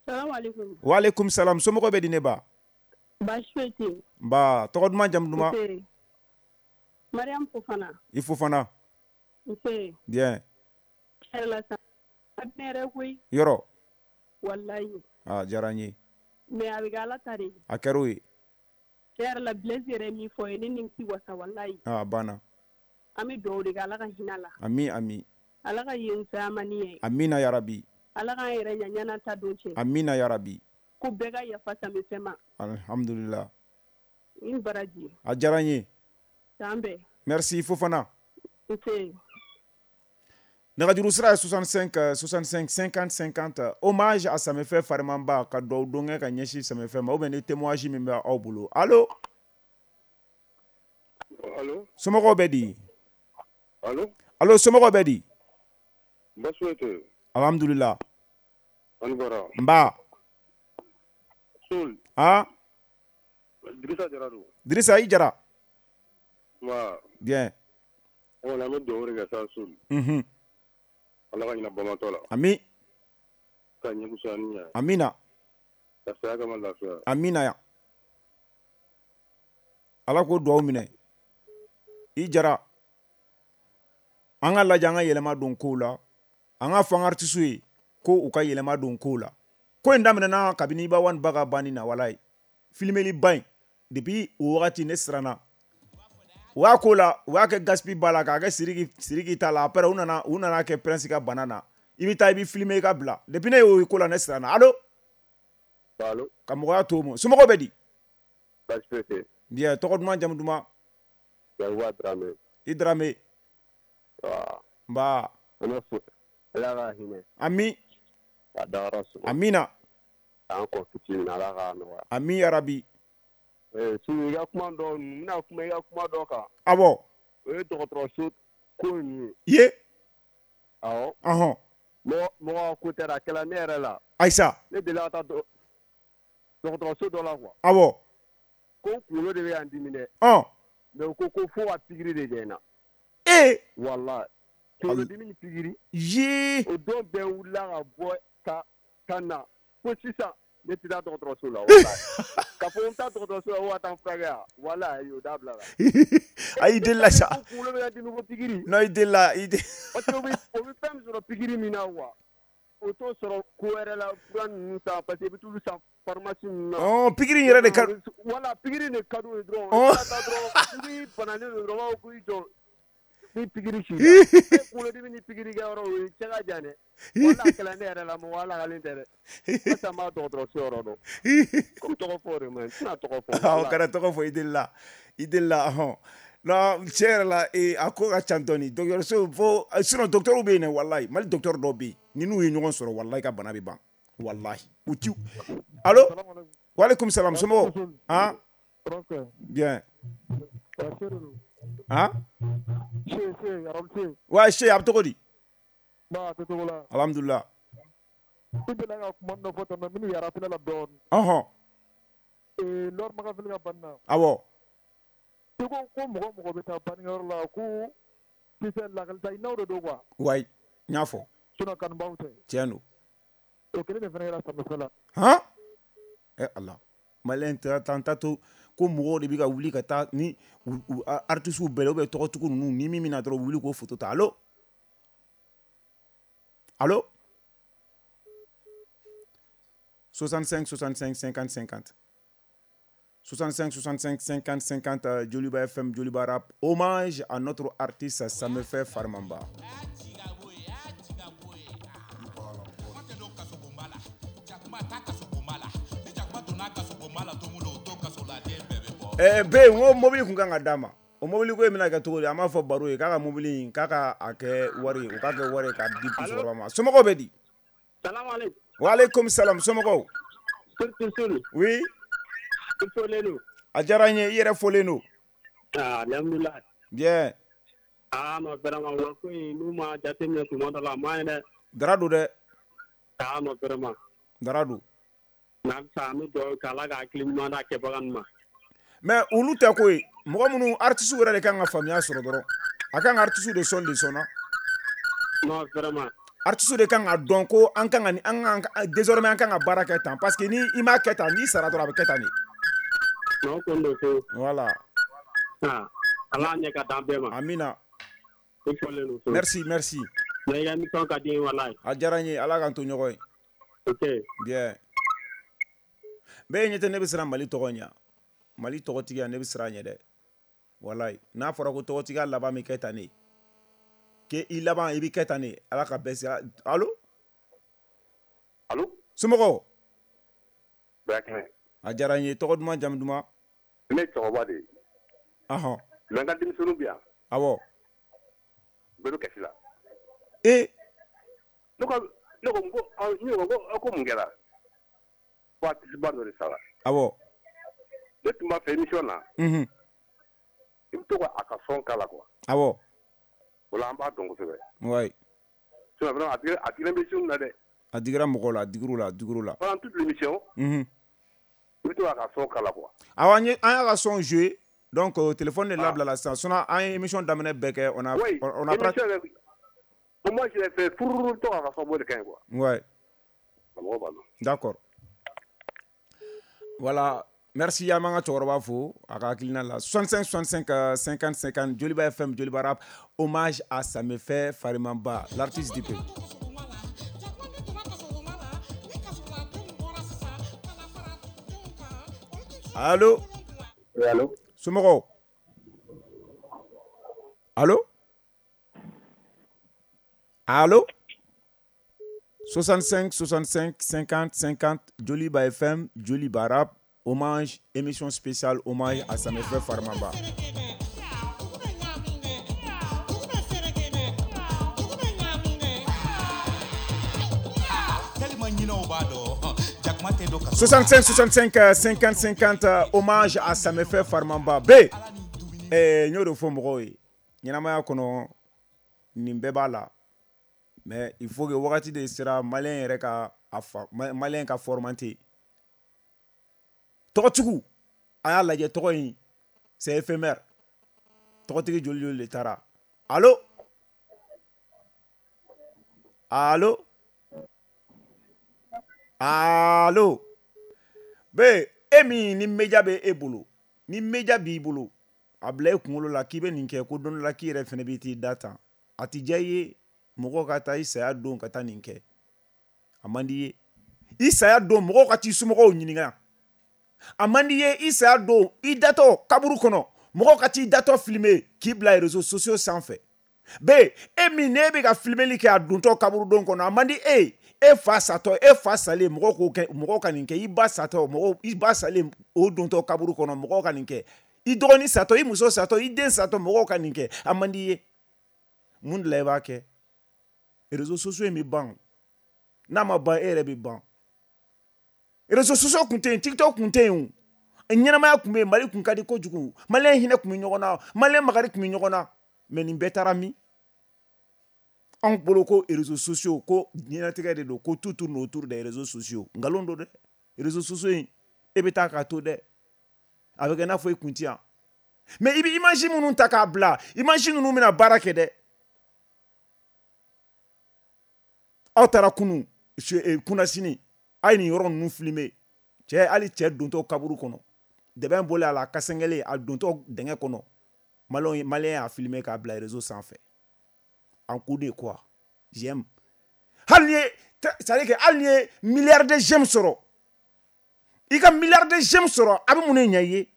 Salam alaikum. Wa alaikum salam. Somɔgɔw bɛ di ne ba? Baasi foyi tɛ yen. Nba, tɔgɔ duman jamu duman? Nse. Mariam Fofana. I Fofana. Nse. Bien. Hɛrɛ la sa. A bɛ ne yɛrɛ koyi. Yɔrɔ. Walayi. Ah, diyara n ye. Mais a bɛ kɛ Ala ta de ye. A kɛra o ye. Tiɲɛ yɛrɛ la, Blaise yɛrɛ ye min fɔ ye, ne nimisi wasa walayi. Ah, a banna. An bɛ dugawu de kɛ Ala ka hinɛ a la. Ami ami. Ala ka yen fisaya ma ni ye. Amina yarabi. Ala k'an yɛrɛ ɲɛ ɲɛna ta don cɛ. Amina yarabi. Ko bɛɛ ka yafa Samefɛ ma. Alhamdulillah. I ni baraji. A diyara n ye. K'an bɛn. Merci Fofana. Nse. Nɛgɛjuru sira ye 65 65 50 50. Hommage à Samefɛ Farimamba, ka dugawu don kɛ ka ɲɛsin Samefɛ ma, ou bien ni témoignage min bɛ aw bolo. Allo. Allo. Somɔgɔw bɛ di? Allo. Allo, somɔgɔw bɛ di? Baasi foyi tɛ yen. Alhamdulillah. Ani baara. Nba. Sol. Ah. Dirisa Jara don. Dirisa, i Jara. Nba. Bien. An kɔni an bɛ dugawu de kɛ sa Sol. Ala ka hinɛ bamatɔ la. Ami. Ka ɲɛ fisaya ni ɲɛ. Amina. Ka saya kama lafiya. Amina ya. Ala k'o dugawu minɛ. I Jara. An ka lajɛ, an ka yɛlɛma don kow la. An ka fɔ an ka artiste ye ko u ka yɛlɛma don kow la. Ko in daminɛna kabini Iba One ba ka banni na, walayi. Filmeli ba in, depuis o wagati ne siranna. U y'a ko la, u y'a kɛ Gaspi ba la, k'a kɛ Sidiki ta la. Après u nana kɛ Prince ka bana na. I bɛ taa i bɛ filmer i ka bila. Depuis ne y'o ko la, ne siranna. Allo. Allo. Ka mɔgɔya to o ma. Somɔgɔw bɛ di? Baasi foyi tɛ yen. Bien, tɔgɔ duman jamu duman? Yakuba Darame. I Darame. Wa. Nba. An bɛ fo. Ala ka hinɛ. Ami. Ka dayɔrɔ suma. Amina. K'an kɔ fitinin Ala k'a nɔgɔya. Ami yarabi. Sunu i ka kuma dɔ n bɛna kuma i ka kuma dɔ kan. Awɔ. O ye dɔgɔtɔrɔso ko in ye. Ye. Awɔ. Ɔhɔn. Mɔgɔ ko tɛ a kɛla ne yɛrɛ la. Ayisa. Ne delila ka taa dɔgɔtɔrɔso dɔ la quoi. Awɔ. Ko n kunkolo de bɛ yan dimi dɛ. Ɔn. Mais u ko ko fo ka pikiri de kɛ n na. Ee. Walahi. Kunkolodimi ni pikiri. Yee. O don bɛɛ wulila ka bɔ ka na fo sisan ne tɛ taa dɔgɔtɔrɔso la walahi. Ka fɔ n bɛ taa dɔgɔtɔrɔso la ko ka taa n furakɛ yan walahi o dabila la. Ayi i delila sa. Ko kunkolo bɛ ka dimi ko pikiri. Non i delila i de. Parce que o bɛ fɛn min sɔrɔ pikiri min na quoi. O t'o sɔrɔ ko wɛrɛ la fura ninnu san parce que i bɛ t'olu san pharmacie ninnu na. Ɔn pikiri in yɛrɛ de ka. Wala pikiri de ka d'u ye dɔrɔn. I bɛ taa dɔrɔn n'i bananen don dɔrɔn u b'a fɔ k'i jɔ ni pikiri k'i la. E kunkolodimi ni pikiri kɛyɔrɔ o ye cɛ ka jan dɛ. Wala a kɛla ne yɛrɛ la mɔgɔ alakalen tɛ dɛ. Halisa n b'a dɔgɔtɔrɔso yɔrɔ dɔn. Komi tɔgɔ fɔ o de man ɲi n tɛna tɔgɔ fɔ. Awɔ kana tɔgɔ fɔ i delila i delila ɔhɔn. Non tiɲɛ yɛrɛ la a ko ka ca dɔɔni dɔgɔtɔrɔso fo sinon docteur bɛ yen dɛ walahi Mali docteur dɔw bɛ yen ni n'u ye ɲɔgɔn sɔrɔ walahi ka bana bɛ ban walahi u ti. Allo. Walekum salam somɔgɔw. Han. Bien. Han. Ouais Che a bɛ cogo di. Alhamdulillah. I delila ka kuma dɔ fɔ tantɔ minnu yɛrɛ la dɔɔni. Ɔhɔn. Lɔri Makafili ka banni na. Awɔ. I ko ko mɔgɔ bɛ taa bannikɛyɔrɔ la ko kisɛ lakalita ɲininaw de don quoi. Wayi n y'a fɔ. Sinon kanubaw tɛ. Tiɲɛ don. O kelen de fana kɛra Samefɛ la. Han. Ala maliyɛn tɛ an ta to ko mɔgɔw de bɛ ka wuli ka taa ni artistes bɛɛ la ou bien tɔgɔtigiw ninnu ni min bɛna dɔrɔn u wuli k'o photo ta. Allo. Allo. 65 65 50 50. 65 65 50 50 Joliba FM, Joliba Rap. Hommage à notre artiste Samefɛ Farimanba. Bɛɛ n ko mobili kun kan ka d'a ma. O mobili ko in bɛna kɛ cogo di? An b'a fɔ baro ye k'a ka mobili in k'a ka a kɛ wari ye, o k'a kɛ wari ye k'a di musokɔrɔba ma. Somɔgɔw bɛ di? Salamu aleykum. Waaleykum salam somɔgɔw. Oui. I folen don. A diyara n ye, i yɛrɛ folen don. Alhamdulilayi. Bien. Ah non vraiment wa ko in n'u ma jateminɛ tuma dɔ la a man ɲi dɛ. Dara don dɛ. Ah non vraiment. Dara don. Halisa an bɛ dugawu kɛ Ala ka hakili ɲuman d'a kɛbaga ninnu ma. Mais olu tɛ ko ye mɔgɔ minnu artistes yɛrɛ de kan ka faamuya sɔrɔ dɔrɔn a kan ka artistes de sɔn de sɔnna. Non vraiment. Artistes de kan ka dɔn ko an kan ka ni an kan désormais an kan ka baara kɛ tan parce que ni i m'a kɛ tan n'i sara dɔrɔn a bɛ kɛ tan de. Non ko don ko. Voilà. Ah Ala ɲɛ ka d'an bɛɛ ma. Amina. I folen don. Merci merci. Mais i ka émission ka di n ye walahi. A diyara n ye Ala k'an to ɲɔgɔn ye. Ok. Bien. Bɛɛ ɲɛ tɛ ne bɛ siran Mali tɔgɔ ɲɛ. Mali tɔgɔtigiya ne bɛ siran ɲɛ dɛ walayi n'a fɔra ko tɔgɔtigiya laban bɛ kɛ tan de k'e i laban i bɛ kɛ tan de Ala ka bɛɛ sira. Allo. Allo. Somɔgɔw. Bɛɛ kɛnɛ. A diyara n ye tɔgɔ duman jamu duman. Ne ye cɛkɔrɔba de ye. Ɔhɔn. Mais n ka denmisɛnninw bɛ yan. Awɔ. Bɛɛ bɛ kasi la. Ee. Ne ko ko mun kɛra? Ko artiste ba dɔ de sara. Awɔ. Ne tun b'a fɛ émission na. Unhun. I bɛ to ka a ka son k'a la quoi. Awɔ. O la an b'a dɔn kosɛbɛ. Ouais. Sinon vraiment a digira émission na dɛ. A digira mɔgɔw la, a digir'u la, a digir'u la. Pendant toute l'émission. Unhun. I bɛ to k'a ka son k'a la quoi. Awɔ an y'a ka son jouer donc téléphone de labila la sisan sinon an ye émission daminɛ bɛɛ kɛ on a oui, on a émission yɛrɛ pour moi je l'ai fait fururu to k'a ka son bɔ de ka ɲi quoi. Ouais. Mɔgɔw b'a dɔn. D'accord. Voilà. Merci an b'an ka cɛkɔrɔba fo a ka hakilina la 65 65 50 50 Joliba FM Joliba Rap hommage à Samefɛ Farimanba l'artiste du pays. Allo. Oui, allo. Somɔgɔw. Allo. Allo. 65 65 50 50 Joliba FM Joliba Rap hommage, émission spéciale hommage à Samefɛ Farimanba. 65 65 50 50, hommage à Samefɛ Farimanba. B n y'o de fɔ mɔgɔw ye, ɲɛnamaya kɔnɔ nin bɛɛ b'a la, mais il faut que wagati de sera malien yɛrɛ ka a fa, malien ka formater. Tɔgɔtigiw, a y'a lajɛ, tɔgɔ in c'est éphémère. Tɔgɔtigi joli joli de taara? Allo, allo, allo. Bɛ e min ni média bɛ e bolo, ni média b'i bolo, a bila e kunkolo la k'i bɛ nin kɛ, ko don dɔ la k'i yɛrɛ fɛnɛ b'i t'i da tan. A ti diya i ye mɔgɔw ka taa i saya don ka taa nin kɛ. A man di i ye i saya don mɔgɔw ka t'i somɔgɔw ɲininka. A man di i ye i saya don, i datɔ kaburu kɔnɔ, mɔgɔw ka t'i datɔ filmer k'i bila réseaux sociaux sanfɛ. Bɛ e min n'e bɛ ka filmeli kɛ a dontɔ kaburudon kɔnɔ, a man di e ye e fa satɔ, e fa salen mɔgɔw k'o kɛ, mɔgɔw ka nin kɛ, i ba satɔ, mɔgɔw, i ba salen o dontɔ kaburu kɔnɔ, mɔgɔw ka nin kɛ, i dɔgɔnin satɔ, i muso satɔ, i den satɔ, mɔgɔw ka nin kɛ. A man di i ye. Mun de la i b'a kɛ? Réseaux sociaux in bɛ ban. N'a ma ban, e yɛrɛ bɛ ban. Réseaux sociaux kun tɛ yen, TikTok kun tɛ yen o. Ɲɛnamaya kun bɛ yen, Mali kun ka di kojugu, malien hinɛ kun bɛ ɲɔgɔn na, malien makari kun bɛ ɲɔgɔn na. Mais nin bɛɛ taara min? Anw bolo ko réseaux sociaux ko diɲɛlatigɛ de don, ko tout tourne autour des réseaux sociaux. Nkalon don dɛ. Réseaux sociaux in, e bɛ taa k'a to dɛ, a bɛ kɛ i n'a fɔ i kun ti yan. Mais i bɛ image minnu ta k'a bila, image ninnu bɛna baara kɛ dɛ. Aw taara kunu kunnasini, a ye nin yɔrɔ ninnu filmer. Cɛ, hali cɛ dontɔ kaburu kɔnɔ, dɛbɛn bɔlen a la, a kasɛngɛlen, a dontɔ dingɛ kɔnɔ, malien y'a filmer k'a bila réseau sanfɛ. En coup de quoi? J'aime. Hali ni ye, c'est à dire que hali ni ye milliard de j'aime sɔrɔ, i ka milliard de j'aime sɔrɔ, a bɛ mun de ɲɛ i ye?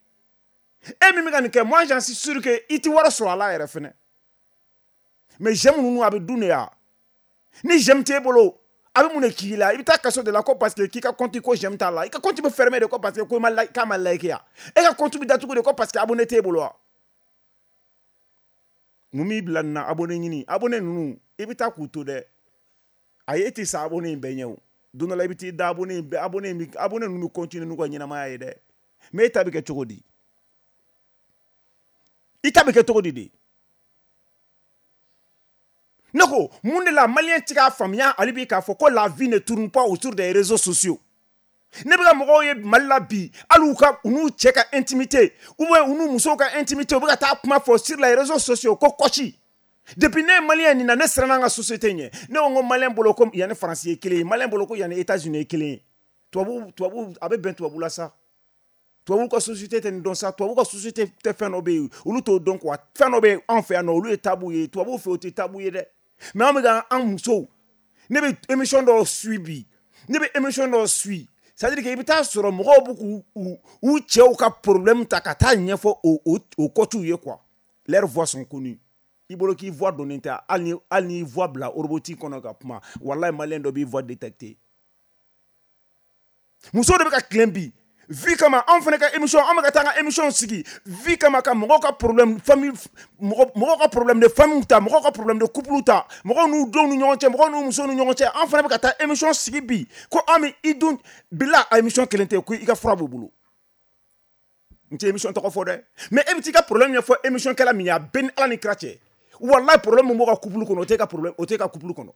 E min bɛ ka nin kɛ, moi j'en suis sûr que i ti wari sɔrɔ a la yɛrɛ fɛnɛ. Mais j'aime ninnu, a bɛ dun de ya. Ni j'aime t'e bolo, a bɛ mun de k'i la? I bɛ taa kaso de la ko parce que k'i ka compte ko j'aime t'a la. I ka compte bɛ fermer de ko parce que ko ma like, k'a ma like ya. E ka compte bɛ datugu de ko parce que abonné t'e bolo wa. Mun b'i bila nin na? Abonné ɲini, abonné ninnu, i bɛ taa k'u to dɛ. Ayi, e tɛ sa abonné in bɛɛ ɲɛ o. Don dɔ la i bɛ t'i da abonné in bɛɛ, abonné in bɛ, abonné ninnu bɛ continuer n'u ka ɲɛnamaya ye dɛ. Mais e ta bɛ kɛ cogo di? I ta bɛ kɛ cogo di de? Ne ko mun de la malien tɛ k'a faamuya hali bi k'a fɔ ko la vie ne tourne pas autour des réseaux sociaux? Ne bɛ ka mɔgɔw ye Mali la bi, hali u ka u n'u cɛ ka intimité ou bien u n'u musow ka intimité, u bɛ ka taa kuma fɔ sur les réseaux sociaux ko kɔsi. Depuis ne ye malien nin na, ne siranna an ka société ɲɛ. Ne ko n ko malien bolo ko yanni Faransi ye kelen ye, malien bolo ko yanni États-Unis ye kelen ye. Tubabu a bɛ bɛn tubabu la sa. Tubabu ka société tɛ nin dɔn sa. Tubabu ka société tɛ, fɛn dɔ bɛ yen, olu t'o dɔn quoi. Fɛn dɔ bɛ yen anw fɛ yan nɔ, olu ye tabu ye. Tubabu fɛ, o tɛ tabu ye dɛ. Mais an bɛ ka an musow, ne bɛ émission dɔw suit bi, ne bɛ émission dɔw suit, c'est à dire que i bɛ taa sɔrɔ mɔgɔw bɛ k'u u cɛw ka problème ta ka taa ɲɛfɔ o coachw ye quoi. Leurs voix sont connues. I bolo k'i voix donnen tɛ, hali n'i voix bila robotique kɔnɔ ka kuma, walahi malien dɔ b'i voix détecter. Musow de bɛ ka tilen bi vie kama. Anw fana ka émission, an bɛ ka taa an ka émission sigi vie kama, ka mɔgɔw ka problème famille, mɔgɔw ka problème de famille ta, mɔgɔw ka problème de couple ta, mɔgɔw n'u denw ni ɲɔgɔn cɛ, mɔgɔw n'u musow ni ɲɔgɔn cɛ. An fana bɛ ka taa émission sigi bi ko an bɛ i dun bila a émission kelen tɛ ko i ka fura b'u bolo. N tɛ émission tɔgɔ fɔ dɛ, mais e bɛ t'i ka problème ɲɛfɔ émission kɛla min ye, a bɛɛ ni Ala ni kira cɛ, walahi problème min b'o ka couple kɔnɔ, o t'e ka problème, o t'e ka couple kɔnɔ.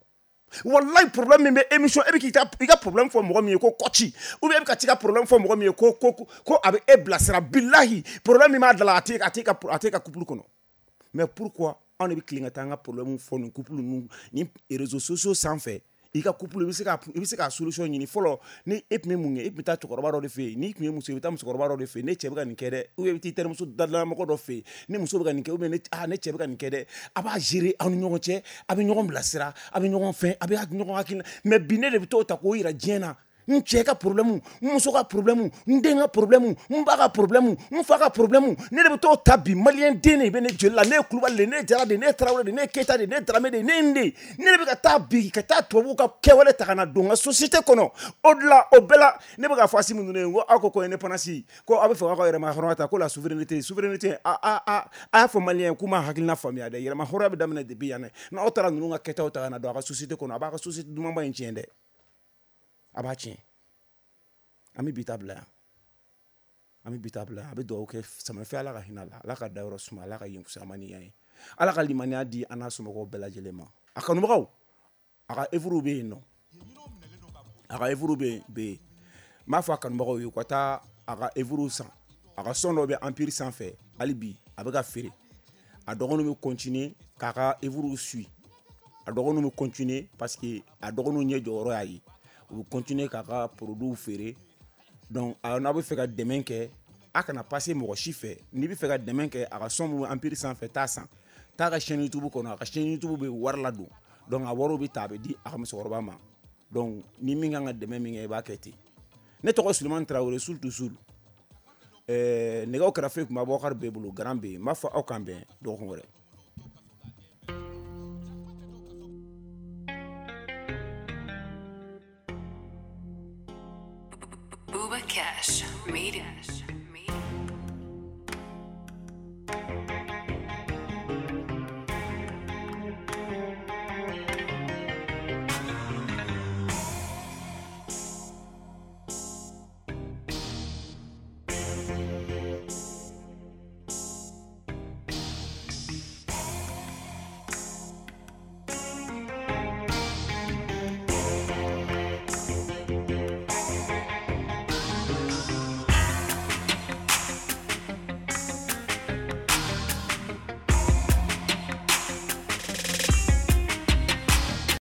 Wallahi problème min bɛ émission, e bɛ k'i ka i ka problème fɔ mɔgɔ min ye ko kɔci, ou bien e bɛ ka t'i ka problème fɔ mɔgɔ min ye ko a bɛ e bilasira, bilahi problème min b'a da la, a t'e ka couple kɔnɔ. Mais pourquoi anw de bɛ tilen ka taa an ka problème fɔ nin couple ninnu ni réseaux sociaux sanfɛ? I ka couple, i bɛ se ka solution ɲini fɔlɔ. Ni e tun bɛ mun kɛ? E tun bɛ taa cɛkɔrɔba dɔ de fɛ yen. N'i tun ye muso ye, i bɛ taa musokɔrɔba dɔ de fɛ yen: ne cɛ bɛ ka nin kɛ dɛ. Ou bien i bɛ t'i terimuso dalamɔgɔ dɔ fɛ yen: ne muso bɛ ka nin kɛ, ou bien ne cɛ bɛ ka nin kɛ dɛ. A b'a gérer aw ni ɲɔgɔn cɛ, a bɛ ɲɔgɔn bilasira, a bɛ ɲɔgɔn fɛn, a bɛ ɲɔgɔn hakilina. Mais bi, ne de bɛ t'o ta k'o yira diɲɛ na: n cɛ ka problème, n muso ka problème, n den ka problème, n ba ka problème, n fa ka problème, ne de bɛ t'o ta bi. Malien den de bɛ ne joli la. Ne ye Kulubali de, ne ye Jara de, ne ye Tarawele de, ne ye Keyita de, ne ye Darame de, ne ye nin de. Ne de bɛ ka taa bi ka taa tubabuw ka kɛwale ta ka na don n ka société kɔnɔ. O de la, o bɛɛ la, ne bɛ k'a fɔ Assimi ninnu ye ko aw ko indépendance, ko aw bɛ fɛ k'aw ka yɛrɛma hɔrɔnya ta, ko la souveraineté, souveraineté, a y'a fɔ malien k'u ma hakilina faamuya dɛ. Yɛrɛma hɔrɔnya bɛ daminɛ depuis yan dɛ. N'aw taara ninnu ka kɛtaw ta ka na don a ka société kɔnɔ, a b'a ka société dumanba in tiɲɛ dɛ. A b'a tiɲɛ. An bɛ bi ta bila yan. An bɛ bi ta bila yan. A bɛ dugawu kɛ Samafɛ, Ala ka hinɛ a la, Ala ka dayɔrɔ suma, Ala ka yen fisaya ni yan ye. Ala ka limaniya di an n'a somɔgɔw bɛɛ lajɛlen ma. A kanubagaw, a ka œuvre bɛ yen nɔ. A ka œuvre bɛ yen. N b'a fɔ a kanubagaw ye u ka taa a ka œuvre san. A ka son dɔ bɛ Empire sanfɛ hali bi a bɛ ka feere. A dɔgɔninw bɛ continuer k'a ka œuvre suit. A dɔgɔninw bɛ continuer parce que a dɔgɔninw ɲɛ jɔyɔrɔ y'a ye. U bɛ continuer k'a ka produits feere. Donc n'a bɛ fɛ ka dɛmɛ kɛ, a kana passer mɔgɔ si fɛ. N'i bɛ fɛ ka dɛmɛ kɛ, a ka son min bɛ Empire sanfɛ, taa san. Taa ka chaîne YouTube kɔnɔ, a ka chaîne YouTube bɛ wari ladon. Donc a wariw bɛ ta, a bɛ di a ka musokɔrɔba ma. Donc ni min kan ka dɛmɛ min kɛ, i b'a kɛ ten. Ne tɔgɔ Sulemani Tarawele, Soul to Soul. Nɛgɛw kɛrɛfɛ tun bɛ Abubakar bɛɛ bolo, garan bɛ yen. N b'a fɔ aw k'an bɛn dɔgɔkun wɛrɛ. Booba Cash made it.